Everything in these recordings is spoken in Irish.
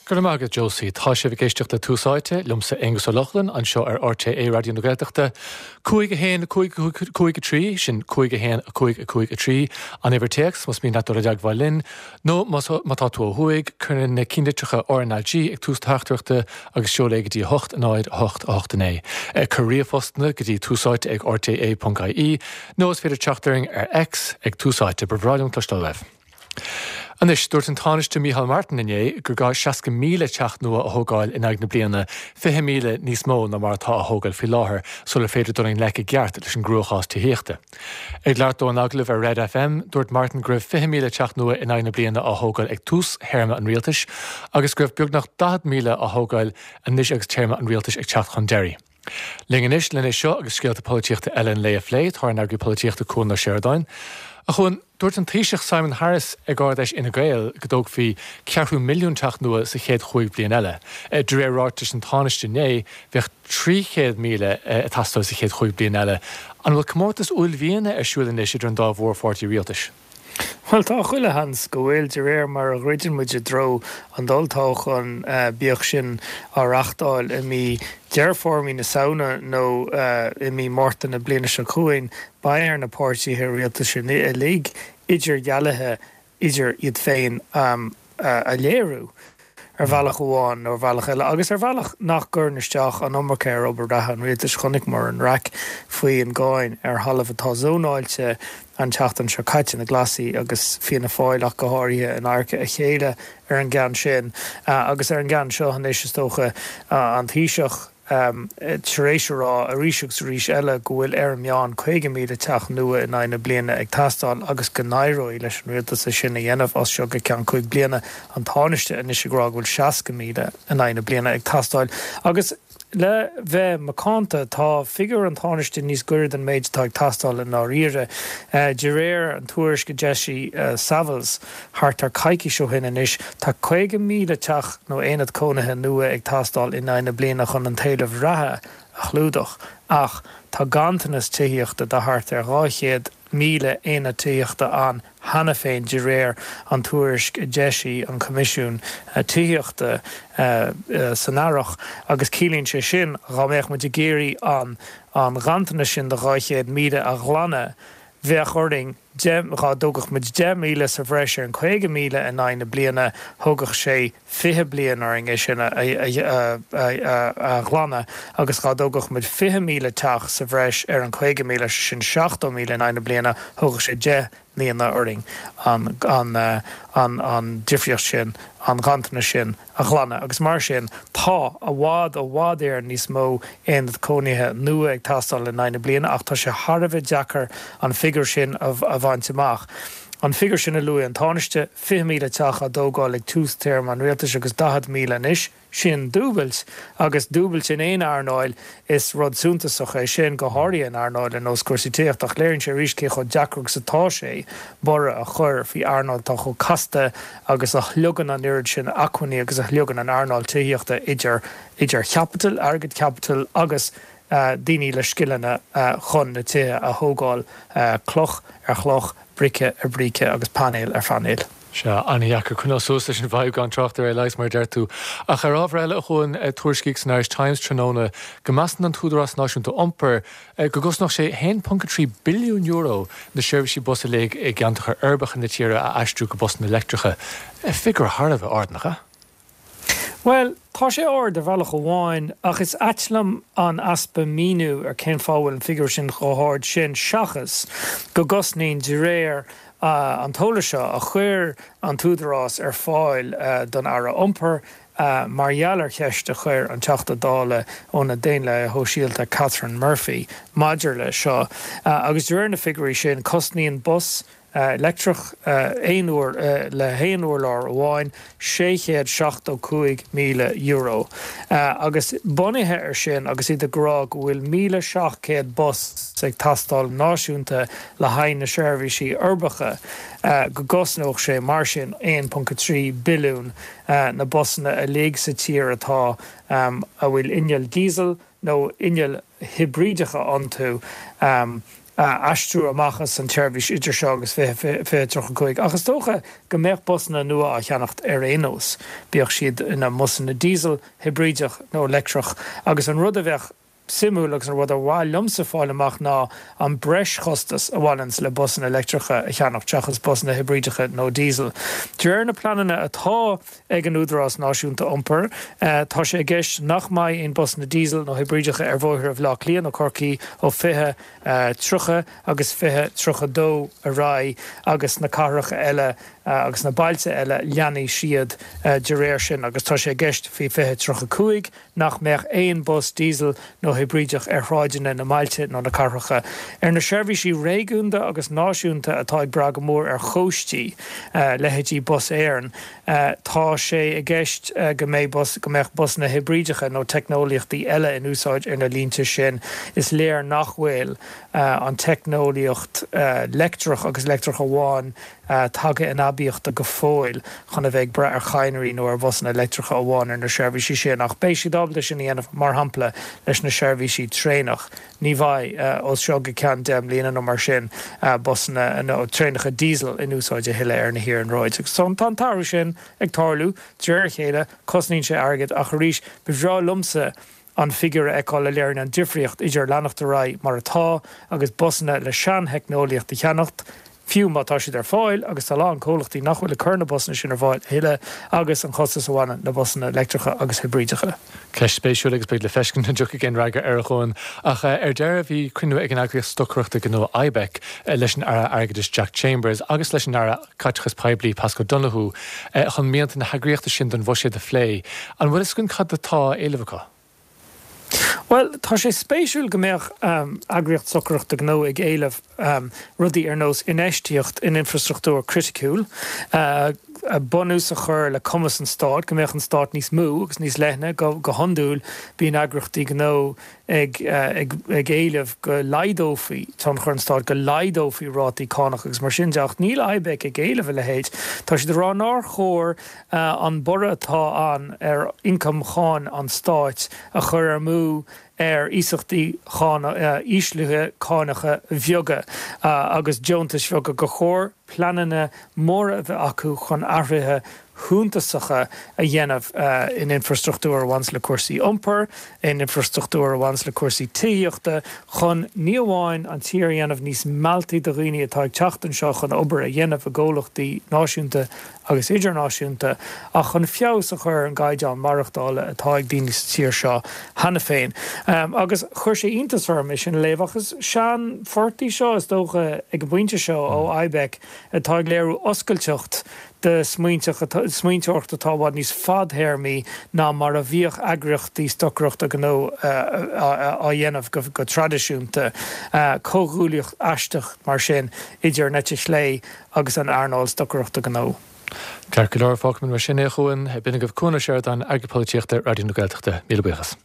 Go raibh maith agat Josie. Tá sibh ag éisteacht le Tús Áite, liomsa Aonghus Ó Lochlainn, anseo ar RTÉ Raidió na Gaeltachta. 5 1 5 5 3, sin 5 1 5 5 3, an uimhir téacs, más mian leat dul i dteagmháil linn, nó má tá tú ó thuaidh, cuir na cinnlitreacha RnaG ag tús do theachtaireachta agus seol é go dtí 8 0 8 8 9. Cuir ríomhphostanna go dtí túsáite ag rté.ie, nó is féidir teacht orainn ar X ag Tús Áite. Ba bhreá liom cloisteáil uaibh. Anois, dúirt an Tánaiste Micheál Martin inné gur gá 60,000 teach nua a thógáil in aghaidh na bliana, 20,000 níos mó ná mar atá á thógáil faoi láthair, sular féidir dul i ngleic i gceart leis an gcruachás tithíochta. Ag labhairt dó in agallamh ar Red FM, dúirt Martin go raibh 20,000 teach nua in aghaidh na bliana á thógáil ag tús théarma an rialtais agus go raibh beagnach 40,000 á thógáil anois agus téarma an rialtais ag teacht chun deiridh. Linn anois len é seo agus scéalta polaitíochta eile an lae a phlé, tá ár n-eagraí polaitíochta Cuan Ó Seireadáin. A Chuain, dúirt an Taoiseach Simon Harris ag Ard-Fheis Fhine Gael go dtógfaí ceathrú milliún teach nua sa chéad chúig bhliain eile. De réir ráitis an Tánaiste inné, bheadh 300,000 ag teastáil sa chéad chúig bliain eile. An bhfuil comórtas uaillmhiana ar siúl anois idir an dá mhórpháirtí rialtais? Bhuel, tá chuile sheans go bhfuil, de réir mar a dhruideann muid i dtreo an olltoghcháin, bíodh sin á reachtáil i mí Deireadh Fómhair, mí na Samhna nó i mí Márta na bliana seo chugainn, beidh ar na páirtithe rialtais uilig idirdhealuithe idir iad féin a léiriú. ar bhealach amháin nó ar bhealach eile, agus ar bhealach nach gcuireann isteach an iomarca ar obair reatha an rialtais. Chonaiceamar an raic faoi an gcáin ar thalamh atá zónáilte an tseachtain seo caite, na Glasaigh agus Fianna Fáil ach go háirithe in adharca a chéile ar an gceann sin. Agus ar an gceann seo anois, is dócha, an Taoiseach, tar éis a rá arís agus arís eile go bhfuil ar an meán 50,000 teach nua in aghaidh na bliana ag teastáil agus go n-éireoidh leis an rialtas é sin a dhéanamh as seo go ceann cúig bliana. An Tánaiste anois ag rá go bhfuil 60,000 in aghaidh na bliana ag teastáil. Agus le bheith macánta, tá figiúr an Tánaiste níos gaire don méid atá ag teastáil i ndáiríre. De réir an tuairisc a d'eisigh Savills, Thart ar coicís ó shin anois, tá 50,000 teach nó aonad cónaithe nua ag teastáil in aghaidh na bliana chun an t-éileamh reatha a chlúdach, ach tá ganntanas tithíochta de thart ar 200,000 aonad tithíochta ann cheana féin de réir an tuairisc a d'eisigh an Coimisiún Tithíochta san earrach. Agus ciallaíonn sé sin, dhá mbeadh muid ag iarraidh an an ganntanas sin de 200,000 a ghlanadh, bheadh orainn 10, dhá dtógfadh muid 10,000 sa bhreis ar an 50,000 in aghaidh na bliana, thógfadh sé 20 bliain orainn é sin a ghlanadh, agus dhá dtógfadh muid 20,000 teach sa bhreis ar an 50,000, sé sin 70,000 in aghaidh na bliana, thógfadh sé 10 mbliana orainn an difríocht sin, an ganntanas sin. a ghlanadh agus mar sin tá i bhfad, i bhfad Éireann níos mó aonad cónaithe nua ag teastáil in aghaidh na bliana ach tá sé thar a bheith deacair an figiúr sin a bhaint amach. An figiúr sin a luaigh an Tánaiste, 20,000 teach á dtógáil ag tús téarma an rialtais agus 40,000 anois, sin dúbailt agus dúbailt in aon earnáil Is rud suntasach é sin, go háirithe in earnáil ar nós cúrsaí tithíochta, ach léiríonn sé arís cé chomh deacair agus atá sé borradh a chur faoi earnáil atá chomh casta agus a shliogann an oiread sin acmhainní agus a shliogann an earnáil tithíochta idir idir chaipiteal, airgead caipitil agus daoine le scileanna chun na tithe a thógáil, cloch ar chloch, bríce ar bhríce agus painéal ar phainéal. Sea, an-dheacair coinneáil suas leis an bhfadhb gan trácht ar é a leigheas, mar a deir tú. Ach ar ábhar eile, a Chuain, tuairiscíodh san Irish Times tráthnóna go measann an tÚdarás Náisiúnta Iompair go gcosnódh sé €1.3 billiún na seirbhísí bus uilig i gceantracha uirbeacha na tíre a aistriú go busanna leictreacha. Figiúr thar a bheith ard, nach ea? Bhuel, tá sé ard ar bhealach amháin, ach is ait liom an easpa míniú ar cén fáth a bhfuil an figiúr sin chomh hard sin, seachas go gcosnaíonn, de réir an t-eolas seo a chuir an tÚdarás ar fáil don Aire Iompair, mar gheall ar cheist a chuir an Teachta Dála ó na Daonlathaithe Shóisialta Catherine Murphy maidir leis seo. Agus de réir na figiúirí sin, cosnaíonn bus leictreach aon uair le haon urlár amháin, €675,000. Agus bunaithe ar sin, agus iad ag rá go bhfuil 1,700 bus ag teastáil náisiúnta le haghaidh na seirbhísí uirbeacha, go gcosnódh sé mar sin 1.3 billiún na busanna uilig sa tír atá a bhfuil inneall diesel nó innill hibrídeacha iontu. aistriú amach as an tseirbhís idir seo agus 2035, ach is dócha go mbeadh busanna nua á cheannacht ar aon nós, bíodh siad ina mbusanna diesel, hibrídeach nó leictreach, agus an rud a bheadh suimiúil agus an rud ar mhaith liomsa fáil amach ná an breischostas a bhaineanns le busanna leictreacha a cheannacht seachas busanna hibrídeacha nó diesel. De réir na pleananna atá ag an Údarás Náisiúnta Iompair, tá sé i gceist nach mbeidh aon busanna diesel nó hibrídeacha ar bhóithre Bhaile Átha Cliath nó Chorcaí ó 2030 agus 2032 ar aghaidh agus na cathracha eile agus na bailte eile leanfaidh siad de réir sin agus tá sé i gceist faoi 2035 nach mbeadh aon bus diesel nó hibrídeach ar shráideanna na mbailte nó na cathracha. Ar na seirbhísí réigiúnda agus náisiúnta atá ag brath go mór ar chóistí, leithéidí Bus Éireann, tá sé i gceist go mbeidh bus, go mbeadh busanna hibrídeacha nó teicneolaíochtaí eile in úsáid ar na línte sin. Is léir nach bhfuil an teicneolaíocht leictreach agus leictreach amháin tagtha in aibíocht go fóill chun a bheith ag brath ar chadhnraí nó ar bhusanna leictreacha amháin ar na seirbhísí sin, ach beidh siad ábalta sin a dhéanamh, mar shampla, leis na seirbhísí traenach. Ní bheidh, ó seo go ceann 10 mbliana nó mar sin, busanna nó traenacha diesel in úsáid a thuilleadh ar na hiarnróid. Agus tá an t-athrú sin ag tarlú de réir a chéile, cosnaíonn sé airgead, ach arís, ba bhreá liomsa an figiúr a fheiceáil a léiríonn an difríocht idir leanacht ar aghaidh mar atá agus busanna le seantheicneolaíocht a cheannacht, fiú má tá siad ar fáil, agus tá a lán comhlachtaí nach bhfuil ag cur na busanna sin ar fáil a thuilleadh, agus an chostas a bhaineann le busanna leictreacha agus hibrídeacha. Ceist spéisiúil agus beidh le feiscint an dtiocfaidh aon fhreagra air a Chuain. Ach ar deireadh bhí cruinniú ag an eagraíocht stocaireachta gnó IBEC leis an Aire Airgeadais Jack Chambers agus leis an Aire Caiteachais Poiblí Paschal Donohoe chun mianta na heagraíochta sin don bhuiséad a phlé. An bhfuil fhios againn cad atá á éileamh acu? Bhuel, tá sé spéisiúil go mbeadh eagraíocht stocaireachta gnó ag éileamh rudaí ar nós infheistíocht in infreastruchtúr criticiúil, bunús a chur le cumas an stáit, go mbeadh an stát níos mó agus níos leithne. Go hiondúil, bíonn eagraíochtaí gnó ag éileamh go laghdófaí tionchar an stáit, go laghdófaí rátaí cánach agus mar sin de, ach níl IBEC ag éileamh a leithéid. Tá siad ag rá nár chóir an borradh atá ann ar ioncam cháin an stáit a chur amú ar iasachtaí íslithe cánacha bheaga agus deontais bheaga, gur chóir pleananna móra a bheith acu chun athruithe shuntasacha a dhéanamh in infreastruchtúr a bhaineas le cúrsaí iompair, in infreastruchtúr a bhaineas le cúrsaí tithíochta, chun ní amháin an tír a dhéanamh níos mealltaí do dhaoine atá ag teacht anseo chun obair a dhéanamh i gcomhlachtaí náisiúnta agus idirnáisiúnta, ach chun feabhas a chur ar an gcaighdeán maireachtála atá ag daoine sa tír seo cheana féin. Agus chuir sé iontas orm é sin a léamh, ach is seanphort í seo, is dócha, ag an bpointe seo ó IBEC atá ag léiriú oscailteacht de smaointeoireacht atá i bhfad níos fadthéarmaí ná mar a bhíodh eagraíochtaí stocaireachta gnó á dhéanamh go traidisiúnta. Comhghuaillíocht aisteach mar sin idir an eite chlé agus an earnáil stocaireachta gnó. Ceart go leor, fágfaimid mar sin é, a Chuain. B'in agaibh Cuan Ó Seireadáin, Eagraí Polaitíochta, Raidió na Gaeltachta. Míle buíochas.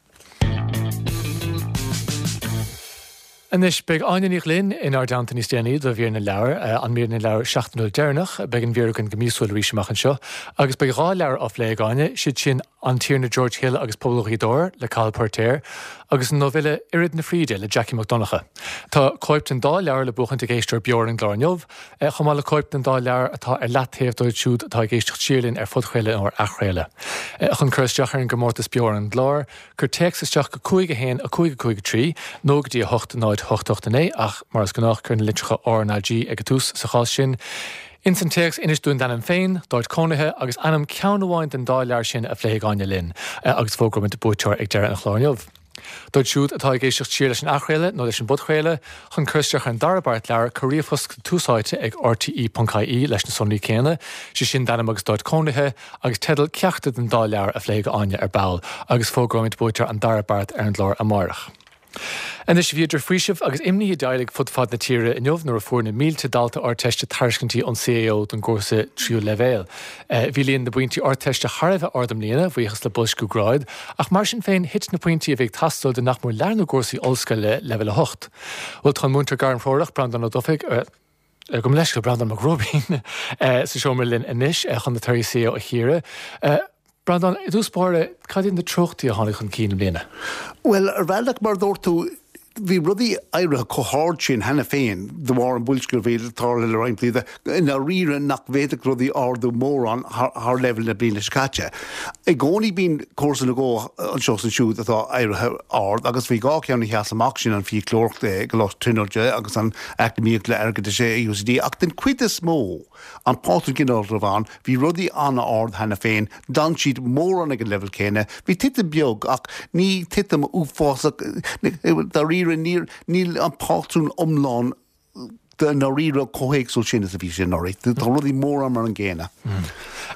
Anois, beidh Áine Ní Ghlinn inár dteannta níos déanaí do Mhír na Leabhar, an Mír na Leabhar seachtainiúil deireanach. Beidh an mhír againn go míosúil arís amach anseo. Agus beidh 2 leabhar á phlé ag Áine, siad sin An Tiarna George Hill agus Pobal Ghaoth Dobhair le Cathal Poirtéir agus an nóibhille Oiread na Fríde le Jackie Mac Donncha. Tá cóip den dá leabhar le buachaint ag éisteoir beo ar an gclár inniu, chomh maith le cóip den dá leabhar atá ar leataobh dóibh siúd atá ag éisteacht siar linn ar phodchraoladh nó ar athchraoladh. Chun cur isteach ar an gcomórtas beo ar an gclár, Cuir téacs isteach go 5 1 5 5 3 nó go dtí 8 0 8 8 9 ach, mar is gnách, cuir na litreacha R ná G ag an tús sa chás sin. Ins an téacs, inis dúinn d'ainm féin, d'áit cónaithe agus ainm ceann amháin den dá leabhar sin a phléifidh Áine linn, agus fógróimid buaiteoir ag deireadh an chláir inniu. Dóibh siúd atá ag éisteacht siar leis an athchraoladh nó leis an bpodchraoladh, chun cur isteach ar an dara beart leabhar, cuir ríomhphost go Tús Áite ag rte.ie leis na sonraí céanna, sé sin d'ainm agus d'áit cónaithe, agus teideal ceachtar den dá leabhar a phléifidh Áine ar ball, agus fógróimid buaiteoir an dara beart ar an gclár amárach. Anois, bhí idir faoiseamh agus imní i dteaghlaigh fud fad na tíre inniu nuair a fuair na mílte dalta Ardteiste tairiscintí ón CAO don gcúrsa tríú leibhéal. Bhí líon na bpointí Ardteiste thar a bheith ard i mbliana, bhuíochas le boilsciú gráid, ach mar sin féin thit na pointí a bhí ag teastáil do nach mór leath na gcúrsaí ollscoile leibhéal 8. Bhuel, tá an múinteoir gairmthreorach, Breandán Ó Dufaigh, gabh mo leithscéal, Breandán Mac Róibín, sa seomra linn anois chun na torthaí CAO a chíoradh. Breandán, i dtús báire, cad iad na treochtaí a tháinig chun cinn i mbliana? Bhuel, ar bhealach, mar a dúirt tú, Bhí rudaí éirithe chomh hard sin cheana féin de bharr an bhoilsciú a bhí ag tarlú le roinnt blianta, i ndáiríre nach bhféadfadh rudaí ardú mórán thar leibhéal na bliana seo caite. I gcónaí bíonn cúrsa nó dhó anseo is ansiúd atá éirithe ard agus bhí 2 cheann a sheas amach, sin an fiaclóireacht i gColáiste Tríonóide agus an eacnamaíocht le airgeadas i UCD ach den chuid is mó, An pátrún ginearálta a bhí ann, bhí rudaí an-ard cheana féin, d'fhan siad mórán ag an leibhéal céanna, bhí titim beag ach ní titim uafásach, dáiríre níl an pátrún iomlán i ndáiríre chomh héagsúil sin is a bhí sé anuraidh. Tá rudaí mórán mar an gcéanna.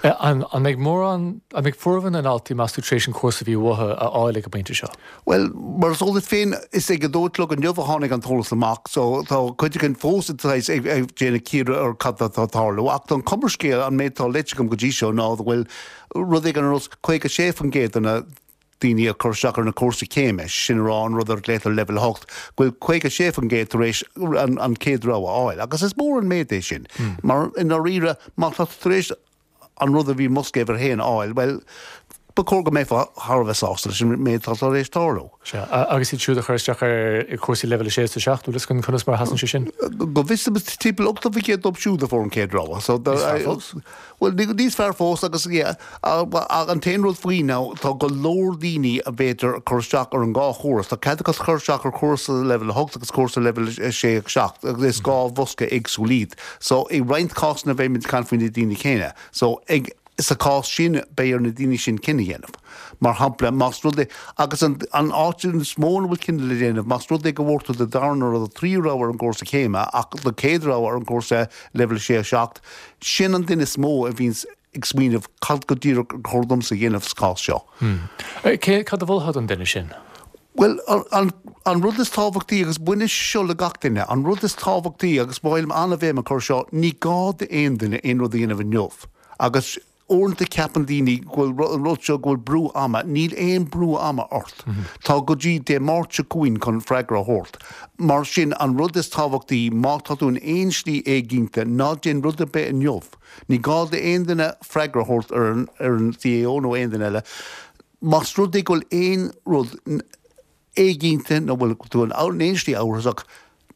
An mbeidh mórán, an mbeidh formhór na ndaltaí, meas tú, tar éis an cúrsa a bhí uathu a fháil ag an bpointe seo? Bhuel, mar is eol duit féin, is ag a dó a chlog inniu a tháinig an t-eolas amach, so tá cuid againn fós ag déanamh cíoradh ar cad atá ag tarlú. Ach don chuma ar scéal, an méid atá léite agam go dtí seo ná go bhfuil rud éigin ar nós 56% de na daoine a chuir isteach ar na cúrsaí céime, sin a rá an rud ar a ghlaotar Leibhéal 8, go bhfuil 56% tar éis an chéad rogha a fháil. Agus is mór an méid é sin, mar i ndáiríre, má tá tú tar éis an rud a bhí i mbosca uimhir a haon a fháil, bhuel, ba chóir go mbeifeá thar a bheith sásta leis an méid atá tar éis tarlú. Sea, agus iad siúd a chuir isteach ar chúrsaí leibhéal 6 is 7, bhfuil fhios againn conas mar a sheasann sé sin? Go bhfios dom, is timpeall 80% dóibh siúd a fuair an chéad rogha. So, Níos fearr fós. Bhuel, níos fearr fós agus, yeah, ach an t-aon rud faoi ná tá go leor daoine a b'fhéidir ag cur isteach ar an dhá chúrsa. Tá cead acu cur isteach ar chúrsa leibhéal 8 agus cúrsa leibhéal 6 agus 7 agus is dhá bhosca éagsúil iad. So, i roinnt cásanna beidh muid ag caint faoi na daoine céanna. So, ag, sa chás sin, beidh ar na daoine sin cinneadh a dhéanamh. Mar shampla, más rud é, agus an, an áit is mó ina bhfuil cinneadh le déanamh, más rud é go bhfuair tú do dara nó do thríú rogha ar an gcúrsa céime ach do chéad rogha ar an gcúrsa leibhéal 6, 7, sin an duine is mó a bhíonns ag smaoineamh cad go díreach ar chóir domsa a dhéanamh sa chás seo. Cé, cad a mholfá don duine sin? Bhuel, an, an rud is tábhachtaí, agus baineann sé seo le gach duine, an rud is tábhachtaí, agus ba mhaith liom an-bhéim a chur seo, ní gá d'aon duine aon rud a dhéanamh inniu. Agus uaireanta ceapann daoine go bhfuil an rud seo, go bhfuil brú ama. Níl aon brú ama ort. Tá go dtí Dé Máirt seo chugainn chun freagra a thabhairt. Mar sin, an rud is tábhachtaí, má tá tú in aon slí éiginnte, ná déan rud ar bith inniu. Ní gá d'aon duine freagra a thabhairt ar an, ar an CAO nó aon duine eile. Más rud é go bhfuil aon rud éiginnte nó bhfuil tú in aon slí amhrasach,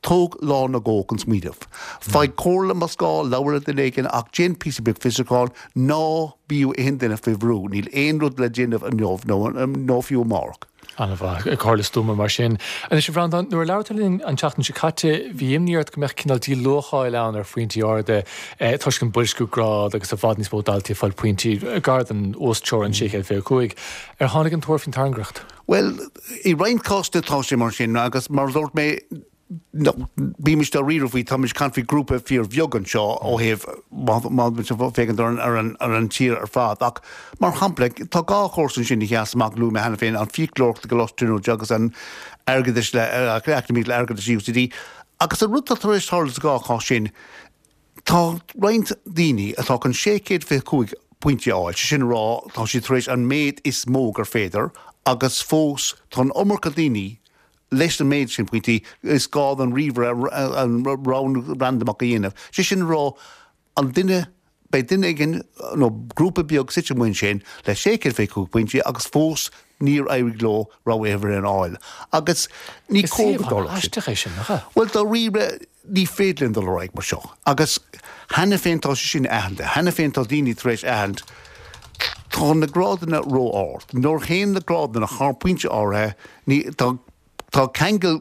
tóg lá nó dhó chun smaoineamh. Faigh comhairle más gá, labhair le duine éigin ach déan píosa beag fiosrúcháin, ná bíodh aon duine faoi bhrú, níl aon rud le déanamh inniu nó fiú amárach. An-mhaith. Comhairle stuama mar sin. Anois, a Bhreandáin, nuair a labhair tú linn an tseachtain seo caite, bhí imní ort go mbeadh cineál díluacháil ann ar phointí arda toisc an boilsciú grád agus i bhfad níos mó daltaí ag fáil pointí gar don uasteorainn 625. Ar tháinig an tuar faoin tairngreacht? Bhuel, i roinnt cásanna tá sé mar sin agus mar a dúirt mé, bímis dáiríre faoi, táimid ag caint faoi ghrúpa fíorbheag anseo ó thaobh má muid ag féachaint ar an ar an tír ar fad ach mar shampla tá dhá chúrsa ansin a sheas amach luaigh mé cheana féin an fiaclóireacht i gColáiste Tríonóide agus an airgeadais le eacnamaíocht le airgeadas UCD agus an rud atá tar éis tarlú sa dhá chás sin Tá roinnt daoine atá chun 625 pointe a fháil, sé sin a rá, tá siad tar éis an méid is mó gur féidir, agus fós tá an iomarca daoine leis an méid sin pointí, is gá don ríomhaire an roghnú randamach a dhéanamh. Sé sin a rá, an duine, beidh duine éigin nó grúpa beag suite amuigh ansin le 625 pointí agus fós níor éirigh leo rogha uimhir aon a fháil. Agus ní cóir go dtarlódh sin. Is suíomh an-aisteach é sin, nach ea? Bhuel, dáiríre, ní féidir linn dul ar aghaidh mar seo. Agus cheana féin tá sé sin aitheanta. Cheana féin tá daoine tar éis aithint tá na grádanna ró-ard. Nuair a théann na grádanna thar pointe áirithe, ní, tá, tá ceangal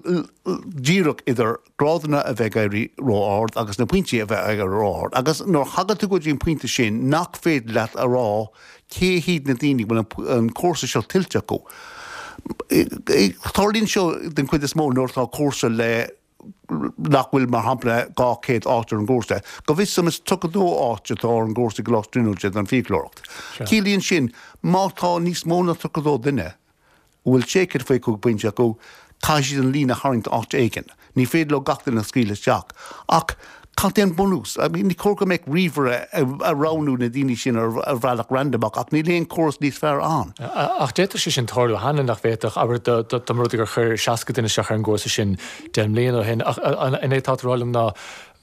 díreach idir grádanna a bheith ag éirí ró-ard agus na pointí a bheith ag éirí ró-ard. Agus nuair a thagann tú go dtí an pointe sin nach féidir leat a rá cé hiad na daoine a bhfuil an cúrsa seo tuillte acu. Tarlaíonn seo den chuid is mó nuair atá cúrsa le nach bhfuil, mar shampla, 200 áit ar an gcúrsa. Go bhfios dom is 32 áit atá ar an gcúrsa i gColáiste Tríonóide don fiaclóireacht. Ciallaíonn sin, má tá níos mó ná 32 duine a bhfuil 625 pointe acu, caithfidh siad an líne a tharraingt áit éigin. Ní féidir leo gach duine a scaoileadh isteach. Ach cad é an bunús? I mean, ní cóir go mbeadh ríomhaire ag roghnú na daoine sin ar bhealach randamach, ach níl aon chóras níos fearr ann. Ach d'fhéadfadh sé sin tarlú cheana, nach bhféadfadh? Abair, dá mba rud é gur chuir 60 duine isteach ar an gcúrsa sin 10 mbliana ó shin. Ach an é atá tú a rá liom ná.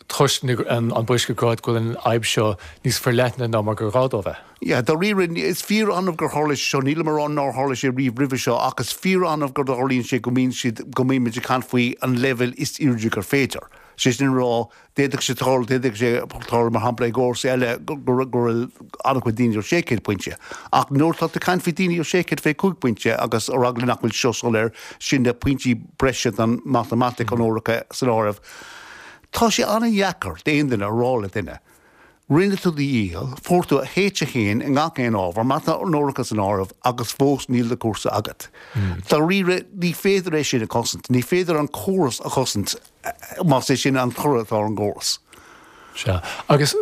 Toisc an boilsciú gráid go bhfuil an fhadhb seo níos forleithne ná mar gur ghá dó bheith. Yeah, dáiríre, is fíor-annamh gur tharla sé seo, nílim a rá nár tharla sé riamh roimhe seo, ach is fíor-annamh go dtarlaíonn sé go mbíonn siad, go mbímid ag caint faoi an leibhéal is airde gur féidir. Sé sin a rá, d'fhéadfadh sé tarlú, d'fhéadfadh sé tarlú, mar shampla, i gcúrsaí eile go bhfuil an-chuid daoine ar 600 pointe. Ach nuair atá tú ag caint faoi daoine ar 625 pointe, agus ar eagla nach bhfuil seo soiléir, sin na pointí breise don matamaitic, onóracha san áireamh, Tá sé an-dheacair d'aon duine a rá le duine, rinne tú do dhícheall, fuair tú H1 i ngach aon ábhar, mata onóracha san áireamh, agus fós níl do chúrsa agat. Dáiríre, ní féidir é sin a chosaint. Ní féidir an córas a chosaint más é sin an toradh atá ar an gcóras. Sea. Agus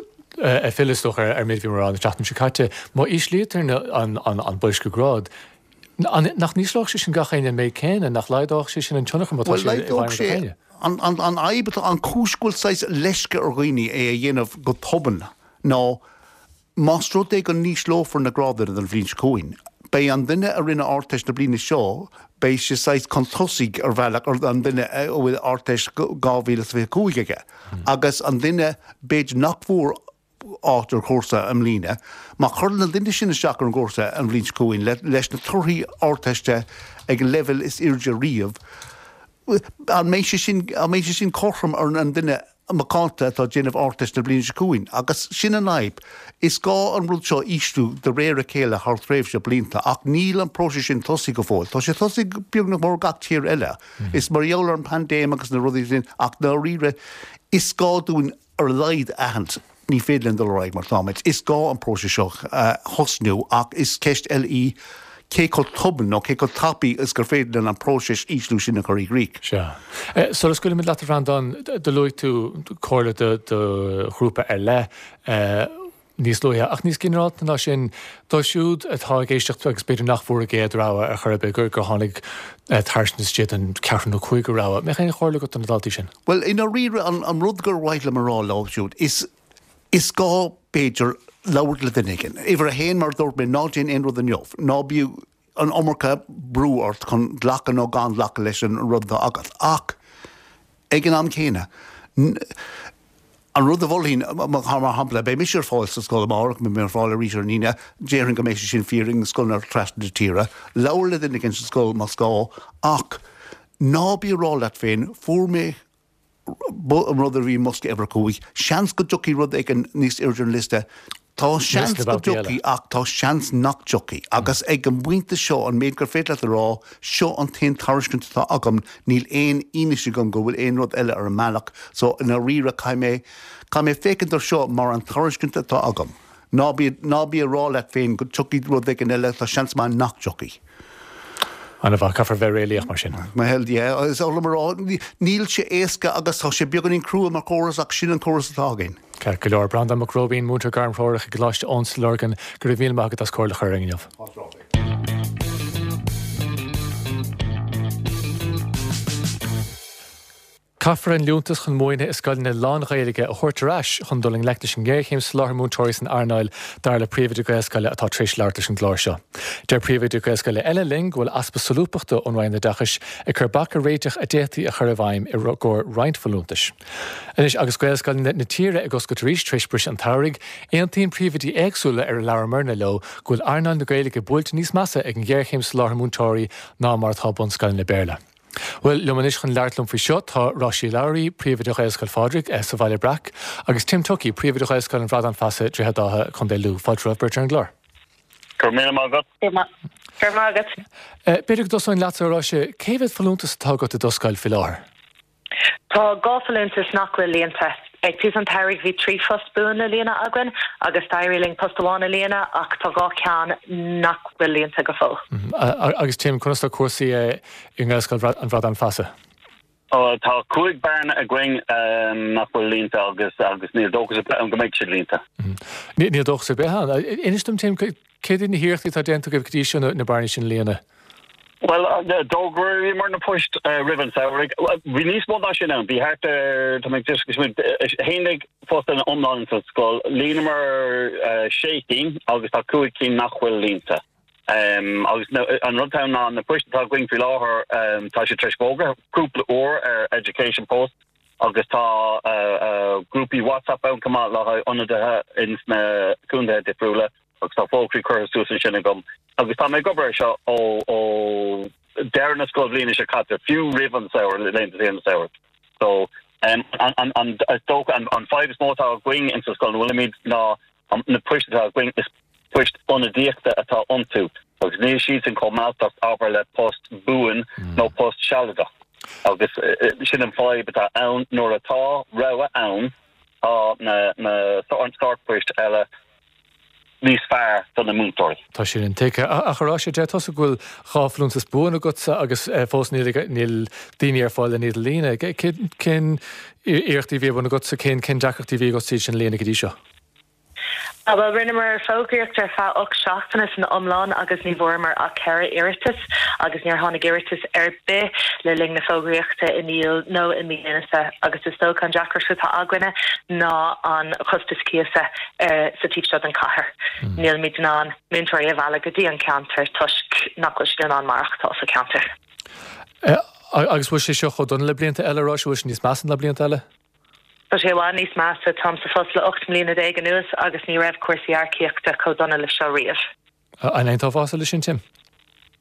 ag filleadh is dócha ar an méid a bhí mé a rá an tseachtain seo caite, má íslítear an boilsciú grád, Nach n-ísleodh sé sin gach éinne an méid céanna? Nach laghdódh sé sin an tionchar má tá sé i bhfeidhm ar gach éinne? An fhadhb atá, an chúis go bhfuil saghas leisce ar dhaoine é a dhéanamh go tobann ná más rud é go n-ísleofar na grádanna don bhliain seo chugainn, beidh an duine a rinne Ardteist na bliana seo, beidh sé saghas chun tosaigh ar bhealach ar an duine a bhfuil Ardteist 2025 aige agus an duine b'fhéidir nach bhfuair áit ar chúrsa i mbliana. Má chuireann an duine sin isteach ar an gcúrsa an bhliain seo chugainn leis na torthaí Ardteiste ag an leibhéal is airde riamh, an mbeidh sé sin, an mbeidh sé sin cothrom ar an duine macánta atá ag déanamh Ardteist na bliana seo chugainn? Agus sin an fhadhb. Is gá an rud seo a ísliú de réir a chéile thar thréimhse blianta ach níl an próiseas sin tosaithe go fóill. Tá sé tosaithe beagnach mar gach tír eile. Is mar gheall ar an bpaindéim agus na rudaí sin ach dáiríre is gá dúinn ar a laghad a aithint, ní féidir linn dul ar aghaidh mar táimid. Is gá an próiseas seo a thosnú ach is ceist eile í cé chomh tobann nó cé chomh tapaidh is gur féidir linn an próiseas ísliú sin a chur i gcrích. Sea. Sula scaoilfimid leat a Bhreandáin, do luaigh tú comhairle do ghrúpa ar leith. níos luaithe. Ach níos ginearálta ná sin, dóibh siúd atá ag éisteacht agus b'fhéidir nach bhfuair a gcéad rogha ar chor ar bith, gur tháinig tairiscint istigh don ceathrú nó cúigiú rogha, mbeadh aon chomhairle agat do na daltaí sin? Bhuel, i ndáiríre, an rud gur mhaith liom a rá leo siúd, is is gá, b'fhéidir, labhairt le duine éigin. Uimhir a haon, mar a dúirt mé, ná déan aon rud inniu. Ná bíodh an iomarca brú ort chun glacadh nó gan glacadh leis an rud atá agat. Ach ag an am céanna, an rud a mholfainn, mar shampla, beidh mise ar fáil sa scoil amárach, beidh mé ar fáil arís ar an Aoine, déarfainn go mbeidh sé sin fíor i scoileanna trasna na tíre. Labhair le duine éigin sa scoil más gá, ach ná bí ag rá leat féin, fuair mé an rud a bhí i mbosca uimhir 5, seans go dtiocfaidh rud éigin níos airde ar an liosta. Tá seans go dtiocfaidh ach tá seans nach dtiocfaidh. Agus ag an bpointe seo, an méid gur féidir leat a rá, seo an t-aon tairiscint atá agam, níl aon fhianaise agam go bhfuil aon rud eile ar an mbealach, so i ndáiríre caithfidh mé, caithfidh mé féachaint ar seo mar an tairiscint atá agam. Ná bí, ná bí ag rá leat féin go dtiocfaidh rud éigin eile, tá seans maith nach dtiocfaidh. An-mhaith, caithfear bheith réalaíoch mar sin. Bhuel, yeah, is oth liom a rá, níl sé éasca agus tá sé beagáinín crua mar chóras ach sin an córas atá againn. Ceart go leor. Breandán Mac Róibín, múinteoir gairmthreorach i gColáiste Eoin sa Lorgain, go raibh míle maith agat as comhairle a chur orainn inniu. Caithfear an liúntas chun múineadh i scoileanna lán-Ghaeilge a thabhairt ar ais chun dul i ngleic leis an ngéarchéim soláthair múinteoirí san earnáil, dar le príomhoide Gaelscoile atá tar éis labhairt leis an gclár seo. Deir príomhoide Gaelscoile eile linn go bhfuil easpa solúbthachta ón Roinn Oideachais ag cur bac ar réiteach a d'fhéadfaí a chur i bhfeidhm i gcomhair roinnt folúntais. Anois agus Gaelscoileanna na tíre ag oscailt arís tar éis briseadh an tsamhraidh, aontaíonn príomhoidí éagsúla ar labhramar leo go bhfuil earnáil na Gaeilge buailte níos measa ag an ghéarchéim soláthair múinteoirí ná mar atá bunscoileanna Béarla. Bhuel, liom anois chun labhairt liom faoi seo tá Roisí Lowry, Príomhoide Ghaelscoil Phádraig sa Bhaile Breac, agus Tim Tuckey, Príomhoide Ghaelscoil an Bhradáin Feasa, Droichead Átha, Contae Lú. Fáilte romhaibh beirt ar an gclár. Go raibh míle maith agat. Go raibh maith agat. B'fhéidir go dtosóinn leatsa, a Roisí. Cé mhéad folúntas atá agat i do scoil faoi láthair? Tá 2 folúntas nach bhfuil líonta. Ag tús an tsamhraidh bhí 3 phost buan le líonadh againn agus d'éirigh linn post amháin a líonadh ach tá 2 ceann nach bhfuil líonta go fóill. Agus Tim, conas tá cúrsaí i nGaelscoil an Bhradáin Feasa? Tá 5 bearna againn nach bhfuil líonta agus agus níl dóchas ar bith ann go mbeidh siad líonta. Níl dóchas ar bith ann. Inis dom Tim, céard iad na hiarrachtaí atá déanta agaibh go dtí seo na bearnaí sin a líonadh? Bhuel, d'fhógraíomar na poist roimh an samhradh. Bhí níos mó ná sin ann. Bhí thart ar, tá mé ag smaoineamh, 11 phost in iomlán sa scoil. Líonamar sé cinn agus tá cúig cinn nach bhfuil líonta. Agus an rud atá ann ná na poist atá againn faoi láthair, tá siad tar éis fógra cúpla uair ar Education Post. Agus tá grúpaí WhatsApp ann chomh maith le haghaidh ionadaithe ins na contaetha difriúla agus tá fógraí curtha suas ansin agam. Agus tá mé ag obair ar seo ó ó deireadh na scoilbhliana seo caite, fiú roimh an samhradh, laethanta saoire an tsamhraidh. So, an an is dócha an an fadhb is mó atá againn ins an scoil ina bhfuilimid ná na poist atá againn, is poist ionadaíochta atá iontu agus níl siadsan chomh mealltach, abair, le post buan nó post sealadach. Agus sin an fadhb atá ann, nuair atá rogha ann, tá na na sórt poist eile níos fearr do na múinteoirí. Tá sin intuigthe. Ach a Róise, deir tusa go bhfuil 2 folúntas buan agatsa agus fós níl níl daoine ar fáil len iad a líonadh. Cén iarrachtaí a bhí ar bun agatsa, cén cén deacrachtaí a bhí agatsa iad sin a líonadh go dtí seo? Bhuel, rinneamar fógraíocht ar feadh 8 seachtaine san iomlán agus ní bhfuaireamar ach 4 iarratas agus níor tháinig iarratas ar bith le linn na fógraíochta i mí Iúil nó i mí Lúnasa agus is dócha an deacracht atá againne ná an costas cíosa sa taobh seo den chathair. Nílimid in ann múinteoirí a mhealladh go dtí an ceantar toisc nach bhfuil siad in ann maireachtáil sa cheantar. Agus bhfuil sé seo chomh dona le blianta eile, a Róise, bhfuil sé níos measa ná blianta eile? Tá sé i bhfad níos measa. Táim sa phost le 18 mbliana anuas agus ní raibh cúrsaí earcaíochta chomh dona le seo riamh. An aontófása leis sin, Tim?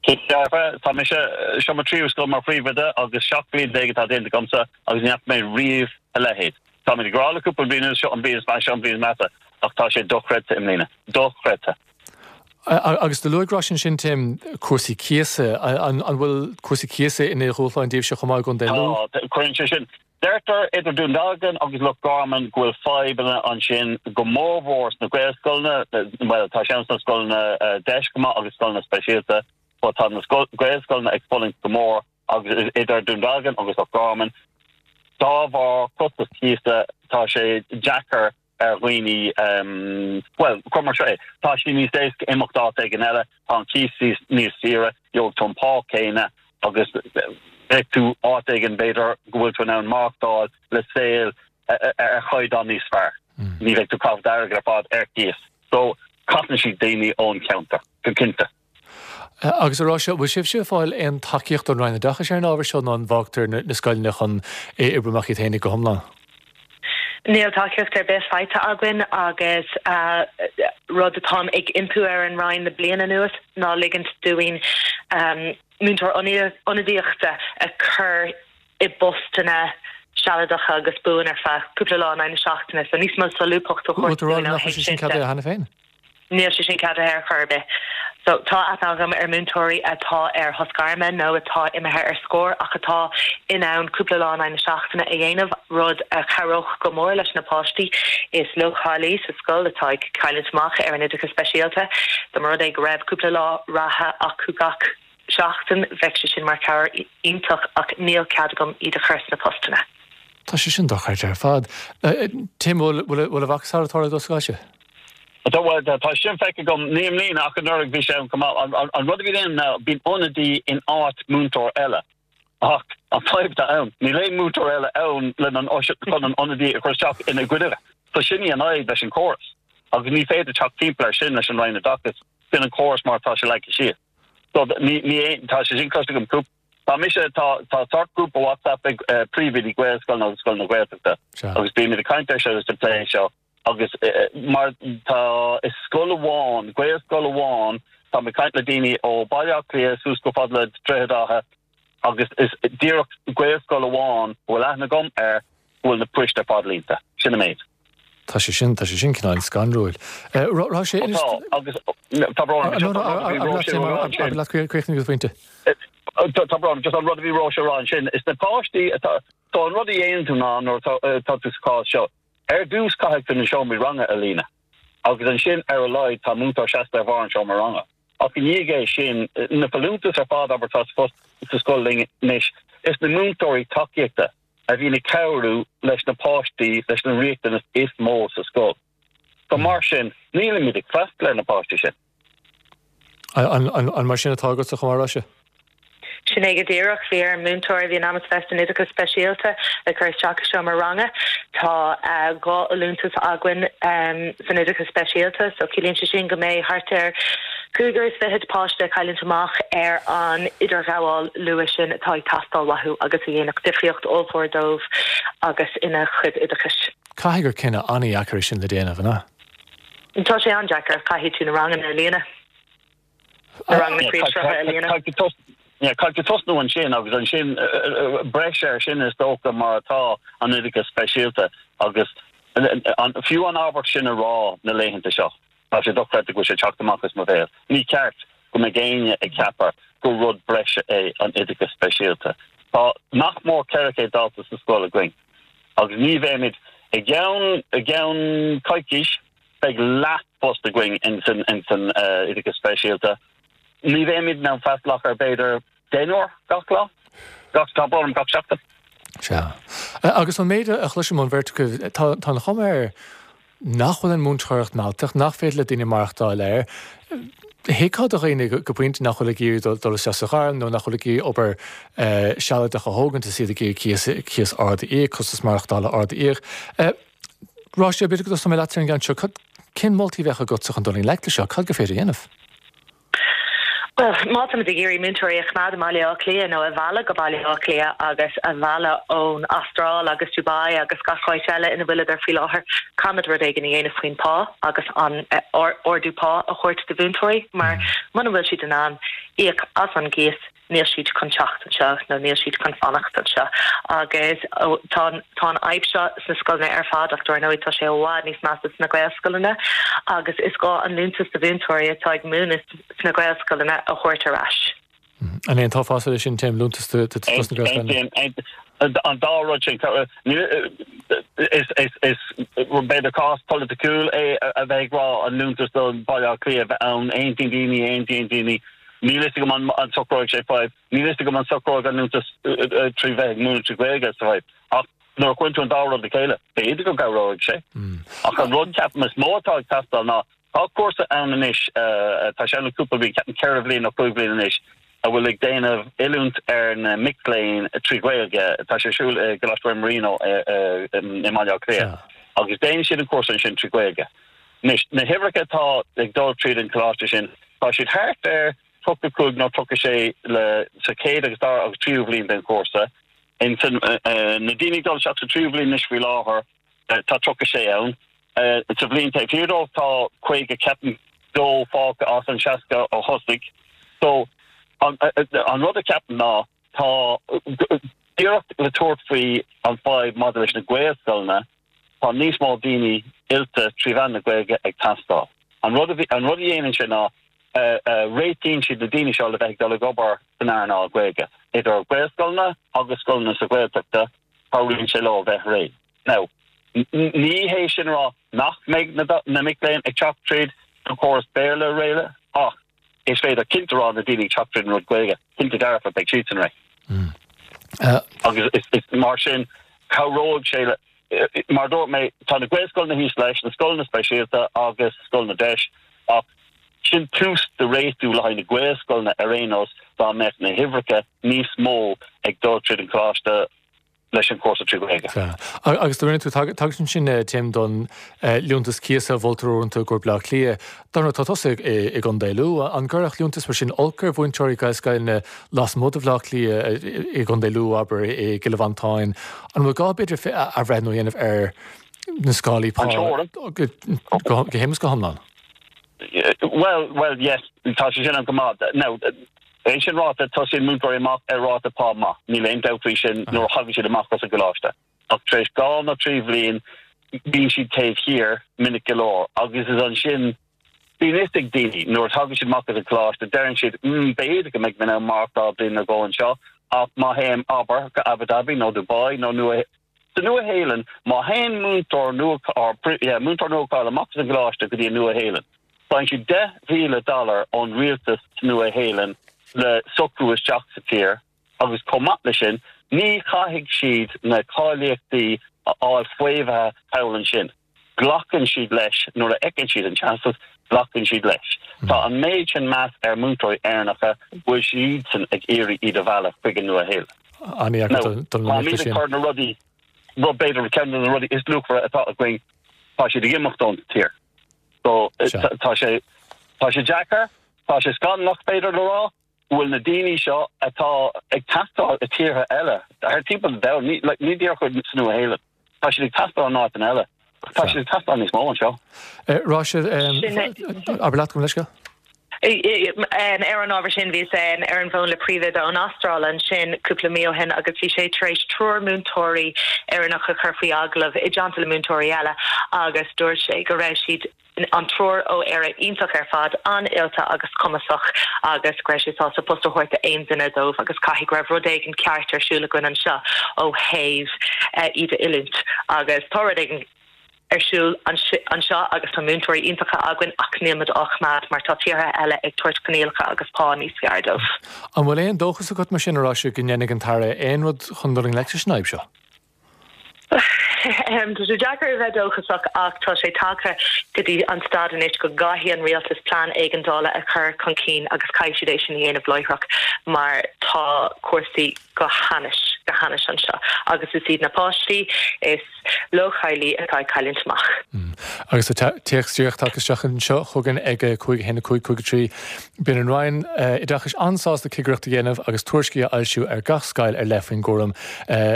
Cinnte dearfa. Tá mise, seo mo tríú scoil mar phríomhoide agus 17 bliain atá déanta agamsa agus ní fhaca mé riamh a leithéid. Táimid ag rá le cúpla bliain anuas seo an bhliain is measa, seo an bhliain is measa ach tá sé dochreidte i mbliana. Dochreidte. Agus do luaigh Róise ansin, Tim, cúrsaí cíosa. An bhfuil cúrsaí cíosa ina dhúshlán daoibhse chomh maith i gContae Lú? Tá, cuireann sé sin. Deirtear idir Dún Dealgan agus Loch Garman go bhfuil fadhbanna ansin, go mórmhór sna Gaelscoileanna, bhuel, tá sé ann sna scoileanna deis chomh maith agus scoileanna speisialta, but tá na Gaelscoileanna ag fulaingt go mór agus idir Dún Dealgan agus Loch Garman, dá bharr costas cíosa, tá sé deacair ar dhaoine, bhuel, cuir mar seo é, tá sé níos éasca imeacht áit éigin eile, tá an cíos níos saoire, gheobhaidh tú an pá céanna agus beidh tú áit éigin b'fhéidir go bhfuil tú in ann maireachtáil le saol ar chaighdeán níos fearr. Ní bheidh tú ag caitheamh d'airgead ar fad ar cíos. So, caitheann siad daoine ón cheantar, go cinnte. Agus a Róise, bhfuil sibhse ag fáil aon tacaíocht ón Roinn Oideachais ar an ábhar seo nó an bhfágtar na scoileanna chun é a oibriú amach iad féinig go hiomlán? Níl tacaíocht ar bith faighte againn agus rud atáim ag impí ar an Roinn le bliain anuas ná ligint dúinn múinteoir ionadaíochta a chur i bpostanna sealadacha agus buan ar feadh cúpla lá in aghaidh na seachtaine so níos mó solúbthachta a thabhairt dúinn ó thaobh sin de. Níl sé sin ceadaithe ar chor ar bith. So, tá aithne agam ar múinteoirí atá ar shos gairme nó atá imithe ar scor ach atá in ann cúpla lá in aghaidh na seachtaine a dhéanamh, rud a chabhródh go mór leis na páistí is leochailí sa scoil atá ag cailliúint amach ar an oideachas speisialta. Dá mba rud é go raibh cúpla lá reatha acu gach seachtain, bheadh sé sin mar chabhair iontach ach níl cead agam iad a chur sna postanna. Tá sé sin dochreidte ar fad. Tim, bhfuil a mhacasamhail ag tarlú i do scoilse? Tá, bhuel, tá sin feicthe agam, ní i mbliana ach anuraidh bhí sé ann chomh maith. An rud a bhíonn ann ná bíonn ionadaí in áit múinteoir eile. Ach an fadhb atá ann, níl aon múinteoir eile ann lena an chun an ionadaí a chur isteach ina gcoinne. So sin í an fhadhb leis an chóras. Agus ní féidir teacht timpeall air sin leis an Roinn Oideachais. Sin an córas mar atá sé leagtha síos. So ní, ní, tá sé sin cloiste agam cúpla Tá mise, tá, tá sórt grúpa WhatsApp ag príomhoidí Gaelscoileanna agus scoileanna Gaeltachta agus bímid ag caint air seo agus ag plé seo agus mar tá is scoil amháin, Gaelscoil amháin, tá mé ag caint le daoine ó Baile Átha Cliath suas go fada le Droichead Átha agus is díreach Gaelscoil amháin a bhfuil aithne agam air go bhfuil na poist ar fad líonta. Sin an méid. Tá sé sin, tá sé sin cineál scanrúil. Raibh sé inis. Tá, agus tá brón orm, just an rud a bhí Róise a rá ansin. Abair leat, críochnaigh do phointe. Tá brón orm, just an rud a bhí Róise a rá ansin, is na páistí atá, so an rud a dhéanann tú ná nuair atá tú sa chás seo, ar dtús caithfidh tú na seomraí ranga a líonadh agus ansin ar a laghad tá múinteoir seasta ar bharr an seomra ranga. Ach i ndiaidh é sin, na folúntais ar fad, abair, atá sa phost sa scoil linn anois, is na múinteoirí tacaíochta a bhíonn ag cabhrú leis na páistí leis na riachtanais is mó sa scoil. So mar sin, nílimid ag freastal ar na páistí sin. An mar sin atá agatsa chomh maith, a Róise? Sin é go díreach. Bhí ar an múinteoir a bhí in ainm is bheith san oideachas speisialta le cur isteach i seomra ranga. Tá 2 fholúntas againn san oideachas speisialta so ciallaíonn sé sin go mbeidh thart ar. Cúigear is fichead páiste ag cailliúint amach ar an idirghabháil luath sin atá ag teastáil uathu agus a dhéanfadh difríocht ollmhór dóibh agus ina chuid oideachais. Caithfidh gur cinneadh an-dheacair é sin le déanamh, an ea? Tá sé an-deacair. Caithfidh tú na ranganna a líonadh. Na ranganna príomhshrutha a líonadh. Caithfidh tú tosnú ansin agus ansin breis air sin is dócha mar atá an oideachas speisialta agus fiú an abairt sin a rá na laethanta seo. Tá sé dochreidte go bhfuil sé ag teacht amach as mo bhéal. Ní ceart go mbeadh éinne ag ceapadh gur rud breise é an oideachas speisialta. Tá nach mór 400 dalta sa scoil againn agus ní bheimid i gceann i gceann coicís beidh leath post againn in san in san oideachas speisialta. Ní bheimid in ann freastal ach ar b'fhéidir deichniúr gach lá, gach tá brón orm gach seachtain. Sea. Agus an méid a chloisim ón bheirt agaibh, tá tá an chuma air nach bhfuil an mhúinteoireacht mealltach, nach féidir le daoine maireachtáil air. Thuigfeá do dhaoine go pointe nach bhfuil ag iarraidh dul isteach sa ghairm nó nach bhfuil ag iarraidh obair sealadach a thógaint is iad ag iarraidh cíos ard a íoc, costas maireachtála ard a íoc. Róise, b'fhéidir go dtosóidh mé leat ar an gceann seo. Cén moltaí a bheadh agatsa chun dul i ngleic leis seo? Cad gur féidir a dhéanamh? Bhuel, má táimid ag iarraidh múinteoirí a choimeád i mBaile Átha Cliath nó a mhealladh go Baile Átha Cliath agus a mhealladh ón Astráil agus Dubai agus gach áit eile ina bhfuileadar faoi láthair, caithfimid rud éigin a dhéanamh faoin pá agus an ardú pá a thabhairt do mhúinteoirí mar muna bhfuil siad in ann íoc as an gcíos, níl siad chun teacht anseo nó níl siad chun fanacht anseo. Agus tá tá an fhadhb seo sna scoileanna ar fad ach dar ndóigh tá sé i bhfad níos measa sna Gaelscoileanna agus is gá an liúntas do mhúinteoirí atá ag múineadh sna Gaelscoileanna a thabhairt ar ais. An aontófá leis sin, Tim, liúntas do sna Gaelscoileanna? An dá rud sin, is b'fhéidir cás polaiticiúil é a bheith ag rá an liúntas do Bhaile Átha Cliath a bheith ann, aontaíonn daoine, aontaíonn daoine. Níl fhios agam an socróidh sé fadhb. Níl fhios agam an socróidh an liúntas trí bheith ag múineadh trí Ghaeilge sa fadhb. Ach nuair a chuireann tú an dá rud le chéile, b'fhéidir go gcabhróidh sé. Ach an rud ceapaim is mó atá ag teastáil ná, tá cúrsa ann anois, tá sé ann le cúpla bliain, ceapaim ceithre bhliain nó cúig bhliain anois, a bhfuil ag déanamh oiliúint ar na mic léinn trí Ghaeilge. Tá sé ar siúl i gColáiste Marino i mBaile Átha Cliath. Agus déanann siad an cúrsa ansin trí Ghaeilge. Anois, na huimhreacha atá ag dul tríd an choláiste sin, tá siad thart ar 35 nó 36 le sa chéad agus dara agus tríú bhliain den chúrsa. In san, na daoine ag dul isteach sa tríú bhliain anois faoi láthair, tá 36 ann. Sa bhliain taobh thiar dóibh tá 50, ceapaim, dó fágtha as an 60 a thosaigh. So, an, an rud a ceapaim ná, tá iarracht le tabhairt faoi an fadhb maidir leis na Gaelscoileanna, Tá níos mó daoine oilte trí mheán na Gaeilge ag teastáil. An rud a an rud a dhéanann sé ná réitíonn siad na daoine seo le bheith ag dul ag obair san earnáil Gaeilge, idir Gaelscoileanna agus scoileanna sa Ghaeltachta, cabhraíonn sé leo bheith réidh. Now, ní hé sin a rá nach mbeidh na na mic léinn ag teacht tríd an chóras Béarla réidh ach is féidir cinnte a rá na daoine ag teacht tríd an rud Gaeilge, cinnte dearfa beidh siadsan réidh. Agus is mar sin cabhróidh sé le, mar a dúirt mé, tá na Gaelscoileanna thíos leis, na scoileanna speisialta agus scoileanna deis, ach sin tús de réitiú le haghaidh na Gaelscoileanna ar aon nós dá mbeadh na huimhreacha níos mó ag dul tríd an choláiste leis an chúrsa trí Ghaeilge. Sea. Agus do rinne tú tagairt ansin, Tim, don liúntas cíosa a mholtar uaireanta i gcomhair Bleá Cliath. Dar ndóigh, tá tusa i gContae Lú. An gcuirfeadh liúntas mar sin olc ar mhúinteoirí Gaelscoileanna lasmuigh de Bhleá Cliath, i gContae Lú, abair, i gCill Mhantáin? An bhfuil gá, b'fhéidir, athbhreithniú a dhéanamh ar na scálaí pá go huile is go hiomlán? Bhuel, bhuel, yes, tá sé sin ann go maith. Now, é sin ráite, tosaíonn múinteoirí amach ar ráta pá maith, níl aon dabht faoi sin nuair a thagann siad amach as an gcoláiste. Ach tar éis dhá nó trí bhliain, bíonn siad taobh thiar minic go leor agus is ansin, bíonn fhios ag daoine nuair a thagann siad amach as an gcoláiste, deireann siad, mm, b'fhéidir go mbeidh mé in ann maireachtáil bliain nó dhó anseo, ach má théim, abair, go Abu Dhabi nó Dubai nó Nua Sa Nua-Shéalainn, má théann múinteoir nua, or, yeah, múinteoir nua-cháilithe amach as an gcoláiste go dtí an Nua-Shéalainn, faigheann siad 10,000 dollar ón rialtas sa Nua-Shéalainn le socrú isteach sa tír agus chomh maith leis sin, ní chaithfidh siad na cáilíochtaí a fháil faomhaithe thall ansin. Glacann siad leis nuair a fheiceann siad an teastas, glacann siad leis. Tá an méid sin meas ar mhúinteoirí Éireannacha go bhfuil siadsan ag iarraidh iad a mhealladh chuig an Nua-Shéalainn. Now, táimid ag cur na rudaí, rud b'fhéidir ceann de na rudaí is luachmhaire atá againn, tá siad ag imeacht ón tír. So, tá sé, tá sé deacair. Tá sé scannalach, b'fhéidir le rá, go bhfuil na daoine seo atá ag teastáil i tíortha eile, thar timpeall an domhain, ní, ní díreach sa Nua-Shéalainn, tá siad ag teastáil in áiteanna eile, ach tá siad ag teastáil níos mó anseo. Róise, abair leat, gabh mo leithscéal. Ar an ábhar sin, bhíos ar an bhfón le príomhoide ón Astráil ansin cúpla mí ó shin agus bhí sé tar éis triúr múinteoirí Éireannacha a chur faoi agallamh i dteannta le múinteoirí eile agus dúirt sé go raibh siad, an triúr ó Éire, iontach ar fad, an-oilte agus cumasach agus go raibh sé sásta post a thabhairt d'aon duine dóibh agus caithfidh go raibh rud éigin ceart ar siúl againn anseo ó thaobh iad a oiliúint agus tá rud éigin ar siúl anseo agus tá múinteoirí iontacha againn ach níl muid á choimeád mar tá tíortha eile ag tabhairt coinníollacha agus pá níos fearr dóibh. An bhfuil aon dóchas agat mar sin, a Róise, go ndéanfaidh an tAire aon rud chun dul i ngleic leis an fhadhb seo? Tá sé deacair a bheith dóchasach ach tá sé tagtha go dtí an staid anois go gcaithfidh an rialtas plean éigeandála a chur chun cinn agus caithfidh siad é sin a dhéanamh láithreach mar tá cúrsaí go hainnis, go hainnis anseo agus is iad na páistí is leochailí atá ag cailliúint amach. Agus tá téacs díreach tagtha isteach anseo chugainn ag 5 1 5 5 3. Bíonn an Roinn Oideachais an-sásta cigireacht a dhéanamh agus tuairiscí a fhoilsiú ar gach scoil ar leith faoin gcúram.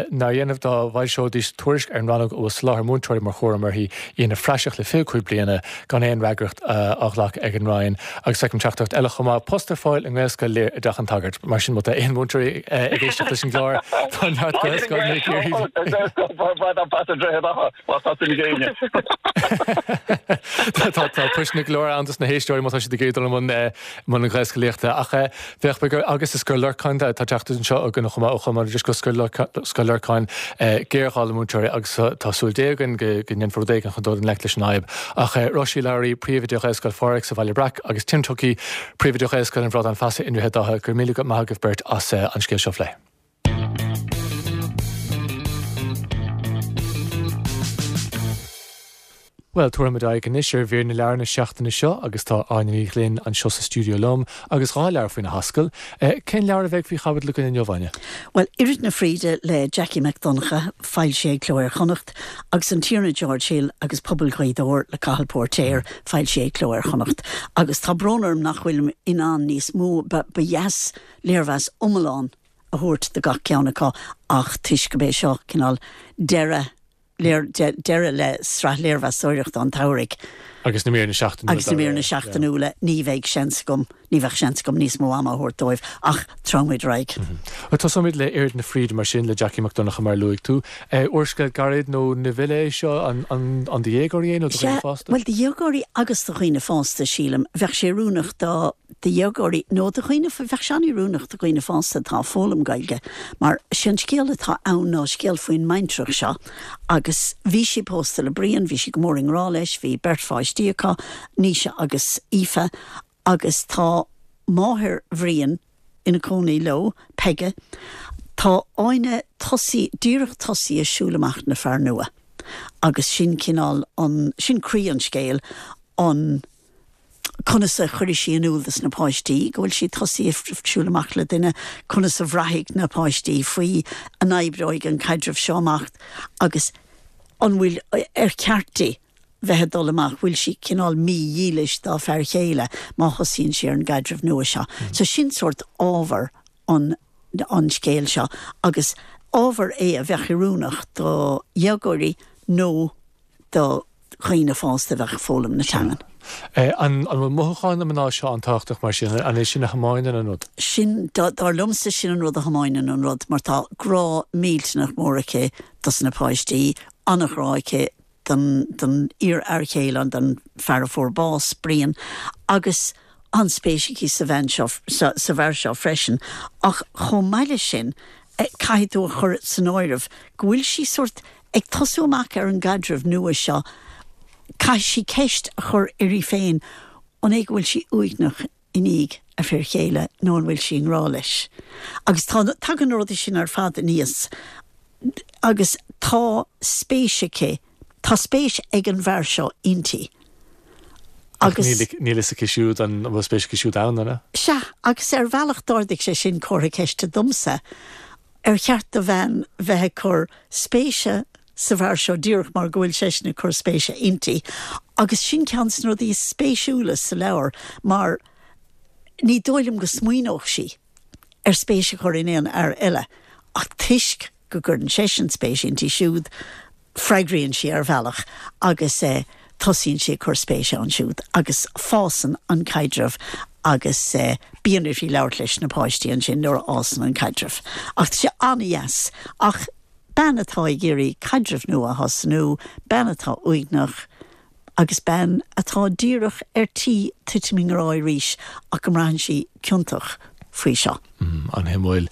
Nár dhéanamh dá bhfoilseoidís tuairisc ar an rannóg a bhfuil soláthar múinteoirí mar chúram uirthi, í ina phraiseach le 25 bliana gan aon fhreagracht á ghlacadh ag an Roinn. Agus feicim teachtaireacht eile chomh maith, post ar fáil i nGaelscoil Lir i dTeach an tSagairt. Mar sin, má tá aon mhúinteoirí ag éisteacht leis an gclár, tá neart Gaelscoileanna ag iarraidh. Tá poist go leor ann dos na héisteoirí má tá siad ag iarraidh dul i mbun mbun na Gaelscolaíochta. Ach bheadh b'fhéidir agus i Scoil Lorcáin, tá teachtaireacht anseo againn chomh maith ó Cholmán go Scoil Lorcáin, géarghá le múinteoirí agus tá súil Dé againn go ndéanfar rud éigin chun dul i ngleic leis an fhadhb. Ach Róise Lowry, Príomhoide Ghaelscoil Phádraig sa Bhaile Breac agus Tim Tuckey, Príomhoide Ghaelscoil an Bhradáin Feasa i nDroichead Átha, go raibh míle maith agaibh beirt as an scéal seo a phlé. Bhuel, tabharfaimid aghaidh anois ar mhír na leabhar na seachtaine seo agus tá Áine Ní Ghlinn anseo sa stiúideo liom agus 2 leabhar faoina hascaill. Cén leabhar a bheidh faoi chaibidil againn inniu, Áine? Bhuel, Oiread na Fríde le Jackie Mac Donncha, foilsithe ag Cló Iar-Chonnacht, agus An Tiarna George Hill agus Pobal Ghaoth Dobhair le Cathal Póirtéir, foilsithe ag Cló Iar-Chonnacht. Agus tá brón orm nach bhfuilim in ann níos mó, ba dheas léirmheas iomlán a thabhairt do gach ceann acu ach toisc gurb é seo cineál deireadh deireadh le sraith léirmheastóireachta an tsamhraidh. Agus na míreanna seachtainiúla. Agus na míreanna seachtainiúla, ní bheidh seans agam, ní bheadh seans agam níos mó ama a thabhairt dóibh ach treabhfaimid ar aghaidh. Bhuel, tosóimid le Oiread na Fríde mar sin, le Jackie Mac Donncha mar a luaigh tú. Úrscéal gairid nó novella é seo, an do dhéagóirí é nó do dhaoine fásta? Sea, bhuel do dhéagóirí agus do dhaoine fásta, sílim. Bheadh sé oiriúnach do. do dhéagóirí nó do dhaoine, bheadh sé an-oiriúnach do dhaoine fásta atá ag foghlaim Gaeilge mar sé an scéal atá ann ná scéal faoin mbaintreach seo agus bhí sí pósta le Brian, bhí sí go mór i ngrá leis, bhí beirt pháistí acu, Naoise agus Aoife agus tá máthair Bhriain ina cónaí leo, Peige. Tá Áine tosaí, díreach tosaithe ag siúl amach le fear nua agus sin cineál an, sin croí an scéil, an. conas a chuirfidh sí in iúl dos na páistí go bhfuil sí tosaithe ag siúl amach le duine, conas a bhraithfidh na páistí faoi, an oibreoidh an caidreamh seo amach agus an bhfuil, ar cheart di bheith ag dul amach, bhfuil sí cineál mídhílis dá fear chéile má thosaíonn sí ar an gcaidreamh nua seo. So sin sórt ábhar an an scéil seo agus ábhar é a bheadh oiriúnach do dhéagóirí nó do dhaoine fásta a bheadh ag foghlaim na teangan. An bhfuil mothúcháin na mná seo an-tábhachtach mar sin? An é sin a thiomáineann an rud? Sin, dar liomsa, sin an rud a thiomáineann an rud mar tá grá millteanach mór aici dos na páistí, an-ghrá aici don, don iar-fhear chéile, don fear a fuair bás, Brian, agus an-spéis aici sa bhean seo, sa bhfear seo freisin. Ach chomh maith leis sin, caithfidh tú a chur san áireamh go bhfuil sí sórt ag tosú amach ar an gcaidreamh nua seo, caithfidh sí ceist a chur uirthi féin, an é go bhfuil sí uaigneach i ndiaidh a fir chéile nó an bhfuil sí i ngrá leis? Agus tá, tagann na rudaí sin ar fad aníos agus tá spéis aici, tá spéis ag an bhfear seo inti. Ach níl a fhios aici siúd an bhfuil spéis aici siúd ann, an ea? Sea, agus ar bhealach d'ardaigh sé sin comhartha ceiste domsa, Ar cheart do bhean bheith ag cur spéise sa bhfear seo díreach mar go bhfuil seisean ag cur spéise inti? Agus sin ceann de na rudaí is spéisiúla sa leabhar mar. Ní dóigh liom go smaoineodh sí ar spéis a chur in aon fhear eile ach toisc go gcuireann seisean spéis inti siúd, freagraíonn sí ar bhealach agus tosaíonn sí ag cur spéise ann siúd agus fásann an caidreamh agus bíonn uirthi labhairt leis na páistí ansin nuair a fhásann an caidreamh. Ach tá sé an-dheas. Ach bean atá ag iarraidh caidreamh nua a thosnú, bean atá uaigneach, agus bean atá díreach ar tí titim i ngrá arís ach go mbraitheann sí ciontach faoi seo. An-shuimiúil.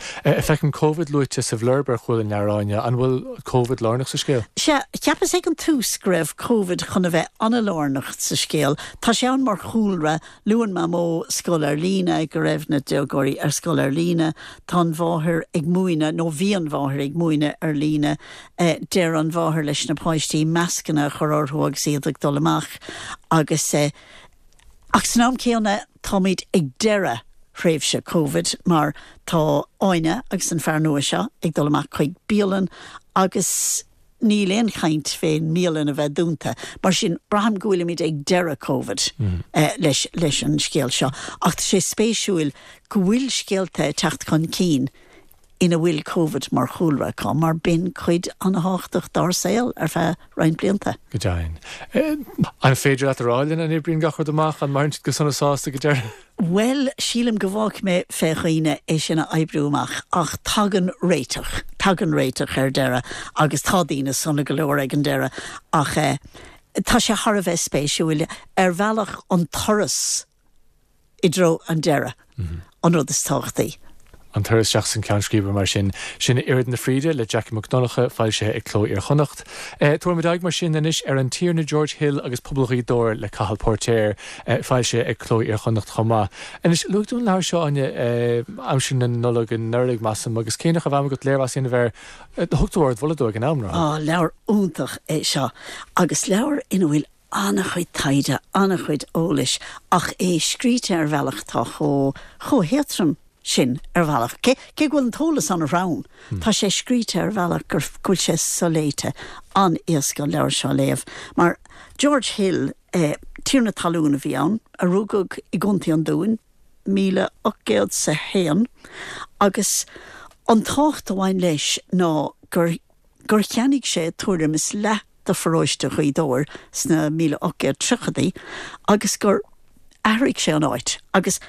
Feicim Covid luaite sa bhlurb ar chúl an leabhair, Áine. An bhfuil Covid lárnach sa scéal? Sea, cheapas ag an tús go raibh Covid chun a bheith an-lárnach sa scéal. Tá sé ann mar chúlra, Luann Mamó scoil ar líne, go raibh na déagóirí ar scoil ar líne. Tá an mháthair ag múineadh, nó bhí an mháthair ag múineadh ar líne. Deir an mháthair leis na páistí mascanna a chur orthu agus iad ag dul amach agus ach san am céanna táimid ag deireadh thréimhse Covid mar tá Áine agus an fear nua seo ag dul amach chuig bialann agus níl aon chaint fén mbialann a bheith dúnta. Mar sin, braithim go bhfuilimid ag deireadh Covid leis leis an scéal seo. Ach tá sé spéisiúil go bhfuil scéalta ag teacht chun cinn ina bhfuil Covid mar chúlra acu, mar b'in cuid an-thábhachtach dár saol ar feadh roinnt blianta. Go deimhin. An féidir leat a rá linn an oibríonn gach rud amach, an maireann siad go sona sásta go deireadh? Bhuel, sílim go bhfágfaidh mé fé dhaoine é sin a oibriú amach, ach tagann réiteach, tagann réiteach ar deireadh agus tá daoine sona go leor ag an deireadh ach eh tá sé thar a bheith spéisiúil, ar bhealach an turas i dtreo an deireadh an rud is tábhachtaí. An turas isteach san ceann scríbe mar sin. Sin Oiread na Fríde le Jackie Mac Donncha, foilsithe ag Cló Iar-Chonnacht. Tabharfaimid aghaidh mar sin anois ar An Tiarna George Hill agus Pobal Ghaoth Dobhair le Cathal Póirtéir, foilsithe ag Cló Iar-Chonnacht chomh maith. Anois, luaigh tú an leabhar seo, Áine, aimsir na Nollag anuraidh, measaim, agus cé nach raibh am agat léirmheas a dhéanamh air, thug tú ardmholadh dó ag an am, nár thug? Á, leabhar iontach é seo, agus leabhar ina bhfuil an-chuid taighde, an-chuid eolais ach é scríte ar bhealach atá chomh, chomh héadtrom sin ar bhealach. Cé, cé go bhfuil an t-eolas an-throm, tá sé scríte ar bhealach gur, go bhfuil sé soléite. An-éasca an leabhar seo a léamh. Mar George Hill, eh, tiarna talún a bhí ann, a rugadh i gContae an Dúin, 1801, agus an tábhacht a bhain leis ná gur, gur cheannaigh sé tuairim is leath de pharóiste Ghaoth Dobhair sna 1830idí agus gur athraigh sé an áit agus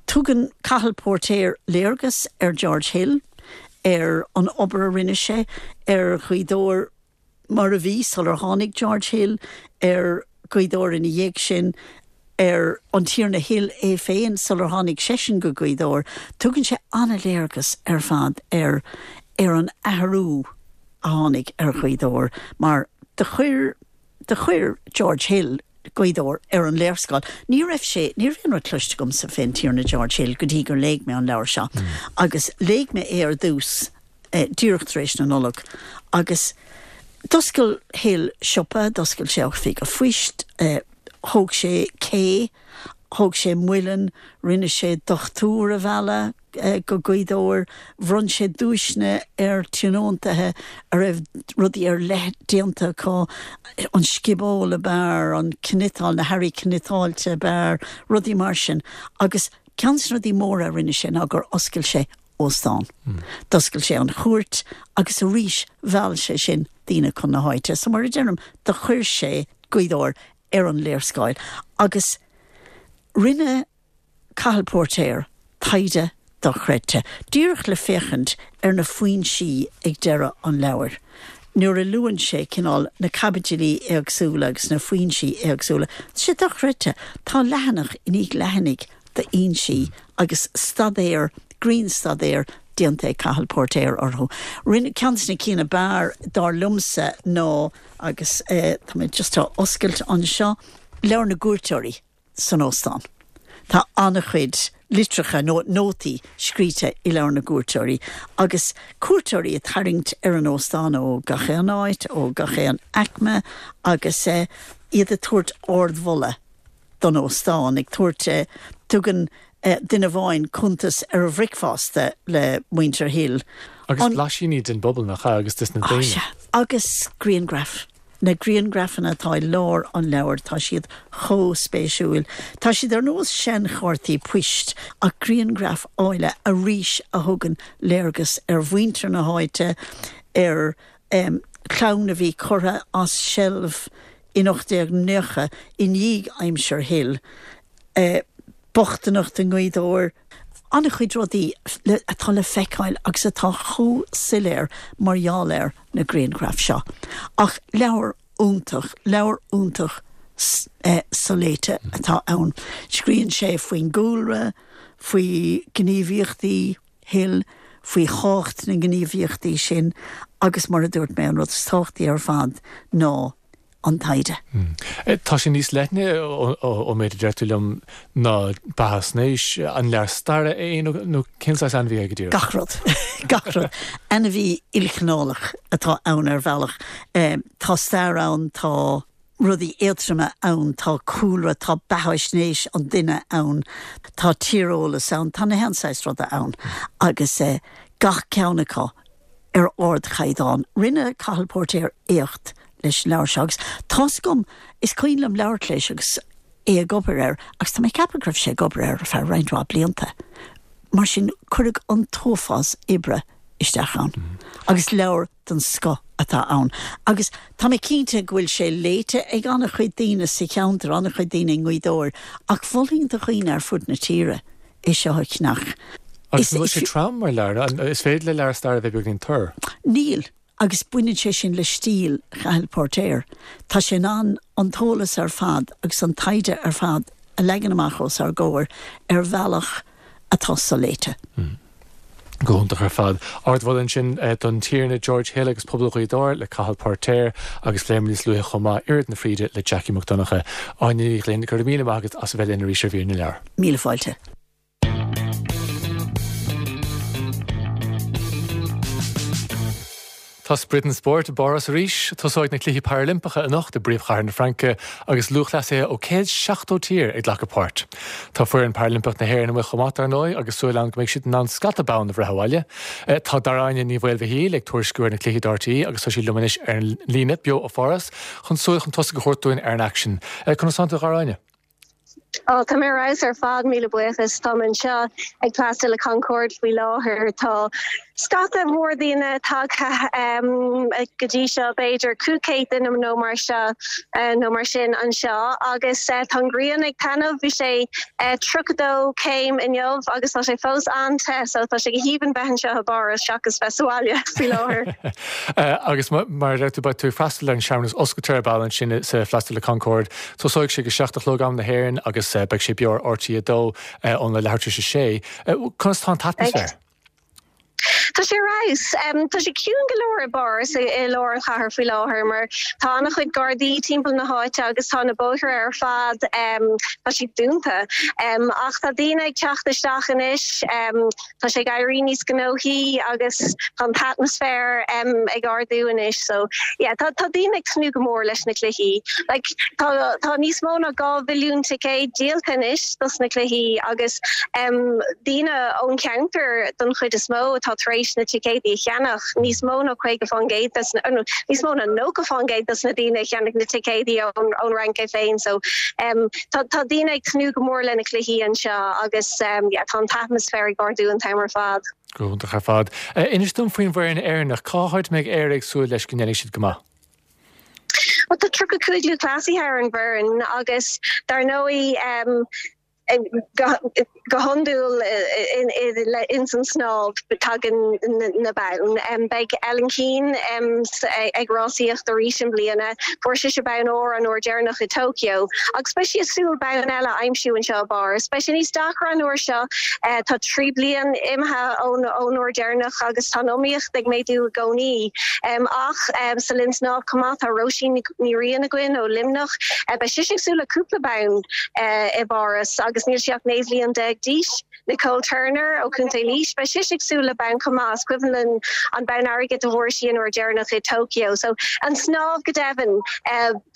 tugann Cathal Póirtéir léargas ar George Hill, ar an obair a rinne sé, ar Ghaoth Dobhair mar a bhí sular tháinig George Hill, ar Ghaoth Dobhair ina dhiaidh sin, ar an Tiarna Hill é féin sular tháinig seisean go Gaoth Dobhair. Tugann sé an-léargas ar fad ar ar an athrú a tháinig ar Ghaoth Dobhair mar do chuir do chuir George Hill Gaoth Dobhair ar an léarscáil. Ní raibh sé, ní raibh aon rud cloiste agamsa fén Tiarna George Hill go dtí gur léigh mé an leabhar seo agus léigh mé é ar dtús díreach tar éis na Nollag agus d'oscail Hill siopa, d'oscail sé oifig an phoist, thóg sé cé, thóg sé muileann, rinne sé dochtúir a mhealladh go Gaoth Dobhair, bhronn sé duaiseanna ar tionóntaithe a raibh rudaí ar leith déanta acu, an sciobóil ab fhearr, an cniotáil, na hearraí cniotáilte ab fhearr, rudaí mar sin. Agus ceann de na rudaí móra a rinne sé ná gur oscail sé óstán. D'oscail sé an chúirt agus arís mheall sé sin daoine chun na háite. So mar a deirim, do chuir sé Gaoth Dobhair ar an léarscáil agus rinne Cathal Póirtéir taighde dochreidte, díreach le féachaint ar na foinsí ag deireadh an leabhair. Nuair a luann sé cineál na caibidilí éagsúla agus na foinsí éagsúla, tá sé dochreidte. Tá leathanach i ndiaidh leathanaigh d'fhoinsí agus staidéar, grinnstaidéar déanta ag Cathal Póirtéir orthu. Rinne, ceann de na cinn ab fhearr, dar liomsa, ná, agus tá mé just á oscailt anseo, Leabhar na gCuairteoirí san óstán. Tá an-chuid litreacha nó nótaí scríte i Leabhar na gCuairteoirí agus cuairteoirí ag tarraingt ar an óstán ó gach aon áit, ó gach aon aicme agus iad ag tabhairt ardmholadh don óstán, ag tabhairt, tugann duine amháin cuntas ar a bhricfeasta le muintir Hill. Agus blaisíní den bpobal, nach ea, agus des na daoine. Á, sea. Agus grianghraif. Na grianghrafanna atá i lár an leabhair, tá siad chomh spéisiúil. Tá siad ar nós seanchártaí poist, ach grianghraif áille arís a thugann léargas ar mhuintir na háite, ar chlann a bhí curtha as seilbh in 1890 i ndiaidh aimsir Hill, bochtaineacht i nGaoth Dobhair, an-chuid rudaí atá le feiceáil agus atá chomh soiléir mar gheall ar na grianghraif seo. Ach leabhar iontach, leabhar iontach soléite atá ann. Scríobhann sé faoin gcúlra, faoi ghníomhaíochtaí Hill, faoi thábhacht na ngníomhaíochtaí sin agus mar a dúirt mé, an rud is tábhachtaí ar fad ná an taighde. Tá sé níos leithne, ón méid a deir tú liom, ná beathaisnéis. An leabhar staire é nó cén saghas ainmhí é go díreach? Gach rud. Gach rud. Ainmhí ilchineálach atá ann ar bhealach. Tá stair ann, tá rudaí éadtroma ann, tá cúlra, tá beathaisnéis an duine ann, tá tíreolas ann, tá na haon saghas ruda ann agus gach ceann acu ar ardchaighdeán. Rinne Cathal Póirtéir éacht leis an leabhar seo agus tá's agam, is cuimhin liom labhairt leis agus é ag obair air agus tá mé ag ceapadh go raibh sé ag obair air ar feadh roinnt mhaith blianta. Mar sin, cuireadh an t-uafás oibre isteach ann agus leabhar den scoth atá ann. Agus tá mé cinnte go bhfuil sé léite ag an-chuid daoine sa cheantar, an-chuid daoine i nGaoth Dobhair, ach mholfainn do dhaoine ar fud na tíre é seo a cheannach. Agus an bhfuil sé trom mar leabhar? Is féidir le leabhar staire a bheith beagáinín tur. Níl, agus baineann sé sin le stíl Chathail Póirtéir. Tá sé in ann an t-eolas ar fad agus an taighde ar fad a leagan amach os ár gcomhair ar bhealach atá soléite. Go hiontach ar fad. Ardmholadh ansin don Tiarna George Hill agus Pobal Ghaoth Dobhair le Cathal Póirtéir agus phléamar níos luaithe chomh maith Oiread na Fríde le Jackie Mac Donncha. Áine Ní Ghlinn, go raibh míle maith agat as a bheith linn arís ar Mhír na Leabhar. Míle fáilte. Tá sprid an spóirt i bPáras arís. Tosóidh na Cluichí Parailimpeacha anocht i bpríomhchathair na Fraince agus lúthchleasaithe ó 170 tír ag glacadh páirt. Tá foireann Parailimpeach na hÉireann amuigh chomh maith, dar ndóigh, agus súil ann go mbeidh siad in ann scata bonn a bhreith abhaile. Tá Dara-Áine Ní Mhaolmhichíl ag tuairisciú ar na cluichí do RTÉ agus tá sí liom anois ar an líne, beo ó Pháras, chun súil chun tosaigh a thabhairt dúinn ar an aicsean. Conas tánn tú, a Dhara-Áine? Ó, tá mé ar fheabhas ar fad, míle buíochas. Táim anseo ag Place de la Concorde faoi láthair. Tá scata mór daoine tagtha go dtí seo, b'fhéidir 500 duine nó mar seo, nó mar sin anseo agus tá an ghrian ag taitneamh. Bhí sé 32 céim inniu agus tá sé fós an-te so tá sé go haoibhinn bheith anseo i bPáras seachas bheith sa bhaile faoi láthair. Agus mar a deir tú, beidh tú ag freastal ar an searmanas oscailte ar ball ansin sa Place de la Concorde. Tosóidh sé ag a 7 a chlog am na hÉireann agus beidh sé beo ar RTÉ 2 óna leathuair tar éis a sé. Conas tá an t-atmaisféar? Tá sé ar fheabhas. Tá sé ciúin go leor i bPáras, i lár an chathair faoi láthair mar tá an-chuid gardaí timpeall na háite agus tá na bóithre ar fad, tá siad dúnta. Ach tá daoine ag teacht isteach anois. Tá sé ag éirí níos gnóthaí agus tá an t-atmaisféar ag ardú anois so yeah tá tá daoine ag tnúth go mór leis na cluichí. Like tá tá níos mó ná 2 mhilliún ticéad díolta anois dos na cluichí agus daoine ón cheantar don chuid is mó atá tar éis na ticéadaí a cheannach, níos mó ná 50% des na nó níos mó ná 90% dos na daoine a cheannaigh na ticéadaí ón ón Fhrainc é féin so Tá tá daoine ag tnúth go mór le na cluichí anseo agus yeah tá an t-atmaisféar ag ardú an t-am ar fad. Go hiontach ar fad. Inis dom faoin bhfoireann Éireannach, cá háit a mbeidh Éire ag súil leis go ndéanfaidh siad go maith? Bhuel tá 35 lúthchleasaithe ar an bhfoireann agus dar ndóigh go hiondúil ins an snámh tagann na boinn. Beidh Ellen Keane ag rásaíocht arís i mbliana. Fuair sise bonn óir an uair deireanach i Tokyo agus beidh sí ag súil bonn eile a aimsiú anseo i bPáras. Beidh sé níos deacra an uair seo. Tá 3 bliain imithe ón uair deireanach agus tá an iomaíocht ag méadú i gcónaí. Ach sa linn snámh chomh maith tá Róisín Ní Riain againn ó Luimneach. Beidh sise ag súil le cúpla bonn i bPáras agus. agus níl sí ach 19 bhliain d'aois. Nicole Turner ó Chontae Laois, beidh sise ag súil le bonn chomh maith. Is cuimhin linn an bonn airgid a bhfuair sí an uair dheireanach i Tokyo. So an snámh go deimhin,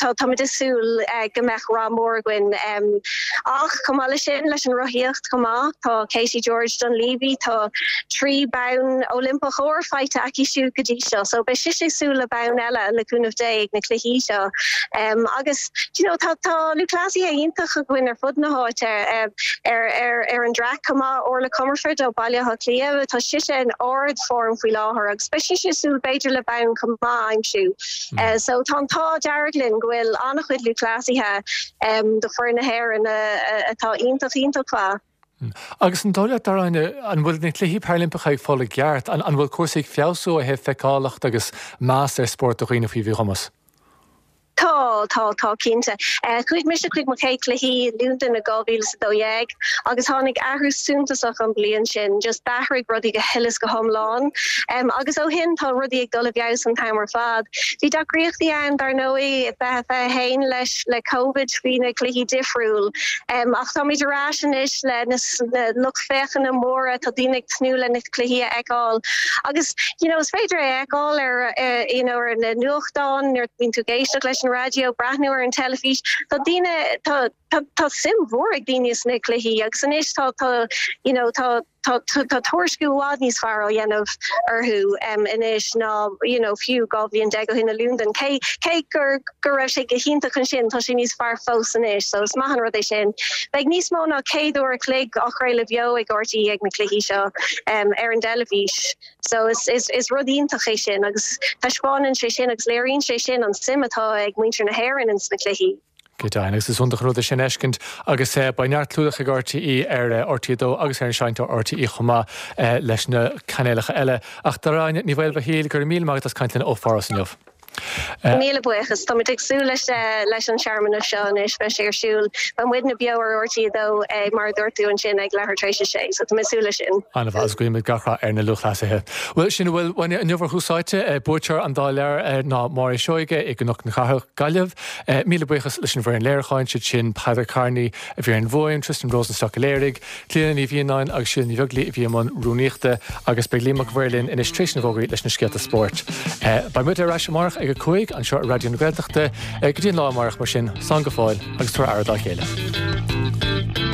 tá táimid ag súil go mbeadh rath mór againn. Ach chomh maith leis sin, leis an rothaíocht chomh maith, tá Katie George Dunleavy, tá 3 bonn Oilimpeach óir faighte aici siúd go dtí seo. So beidh sise ag súil le bonn eile le cúnamh Dé ag na cluichí seo. Agus do you know tá tá lúthchleasaithe iontach againn ar fud na háite. Ar an traic chomh maith, Orla Comerford ó Baile Átha Cliath, tá sise in ard-form faoi láthair agus beidh sise ag súil b'fhéidir le bonn chomh maith a aimsiú. So tá an t-ádh dearg linn go bhfuil an-chuid lúthchleasaithe do foireann na hÉireann atá iontach, iontach mhaith. Agus an dóigh leat, Dara-Áine, an bhfuil na Cluichí Parailimpeacha ag fáil a gceart? An bhfuil cúrsaí ag feabhsú ó thaobh feiceálacht agus meas ar spórt do dhaoine faoi mhíchumas? Tá, tá, tá cinnte. Chuaigh mise chuig mo chéad chluichí i Londain i 2012 agus tháinig athrú suntasach an bhliain sin, just d'athraigh rudaí go huile is go hiomlán. Agus ó shin tá rudaí ag dul i bhfeabhas an t-am ar fad. Bhí deacraíochtaí ann dar ndóigh i 2021 leis le Covid, bhí na cluichí difriúil. Ach táimid ar ais anois le na lucht féachana móra, tá daoine ag tnúth le na cluichí a fheiceáil agus you know is féidir é a fheiceáil ar you know ar na nuachtáin nuair a bhíonn tú ag éisteacht leis an raidió, breathnú ar an teilifís, tá daoine, tá tá tá suim mhór ag daoine sna cluichí agus anois tá tá you know tá tá tá tuairisciú i bhfad níos fearr á dhéanamh orthu anois ná you know fiú 12 bhliain ó shin i Londain. Cé cé gur go raibh sé go hiontach ansin, tá sé níos fearr fós anois, so is maith an rud é sin. Beidh níos mó ná 100 uair a chloig á chraoladh beo ag RTÉ ag na cluichí seo ar an dteilifís. So is is is rud iontach é sin agus taispeánann sé sin agus léiríonn sé sin an suim atá ag muintir na hÉireann ins na cluichí. Go deimhin, agus is iontach an rud é sin a fheiscint agus beidh neart clúdach ag RTÉ ar RTÉ 2 agus ar an seinnteoir RTÉ chomh maith leis na cainéalacha eile. Ach Dara-Áine Ní Mhaolmhaoil, go raibh míle maith agat as caint linn ó Pháras inniu. Míle buíochas. Táimid ag súil leis leis an searmanas seo anois. Beidh sé ar siúl. Beidh muidne beo ar RTÉ 2 mar a dúirt tú ansin ag leathuair tar éis a sé. So tá mé ag súil leis sin. An-mhaith agus guímid gach rath ar na lúthchleasaithe. Bhuel, sin a bhfuil uainne inniu ar Thús Áite. Buaiteoir an dá leabhar ná Máire Seoige i gCnoc na Cathrach, Gaillimh. Míle buíochas leis an bhfoireann léiriúcháin, siad sin Peadar Kearney a bhí ar an bhfuaim, Tristan Rosenstock a léirigh, Clíona Ní Mhianáin agus Síle Ní Bheaglaoí a bhí i mbun rúnaíochta agus beidh Liam Mac an Mhaoir linn anois tar éis na bhfógraí leis na scéalta spóirt. Beidh muid ar ais amárach ag 5 anseo ar Raidió na Gaeltachta. Go dtí an lá amárach mar sin, slán go fóill agus tabhair aire dá chéile.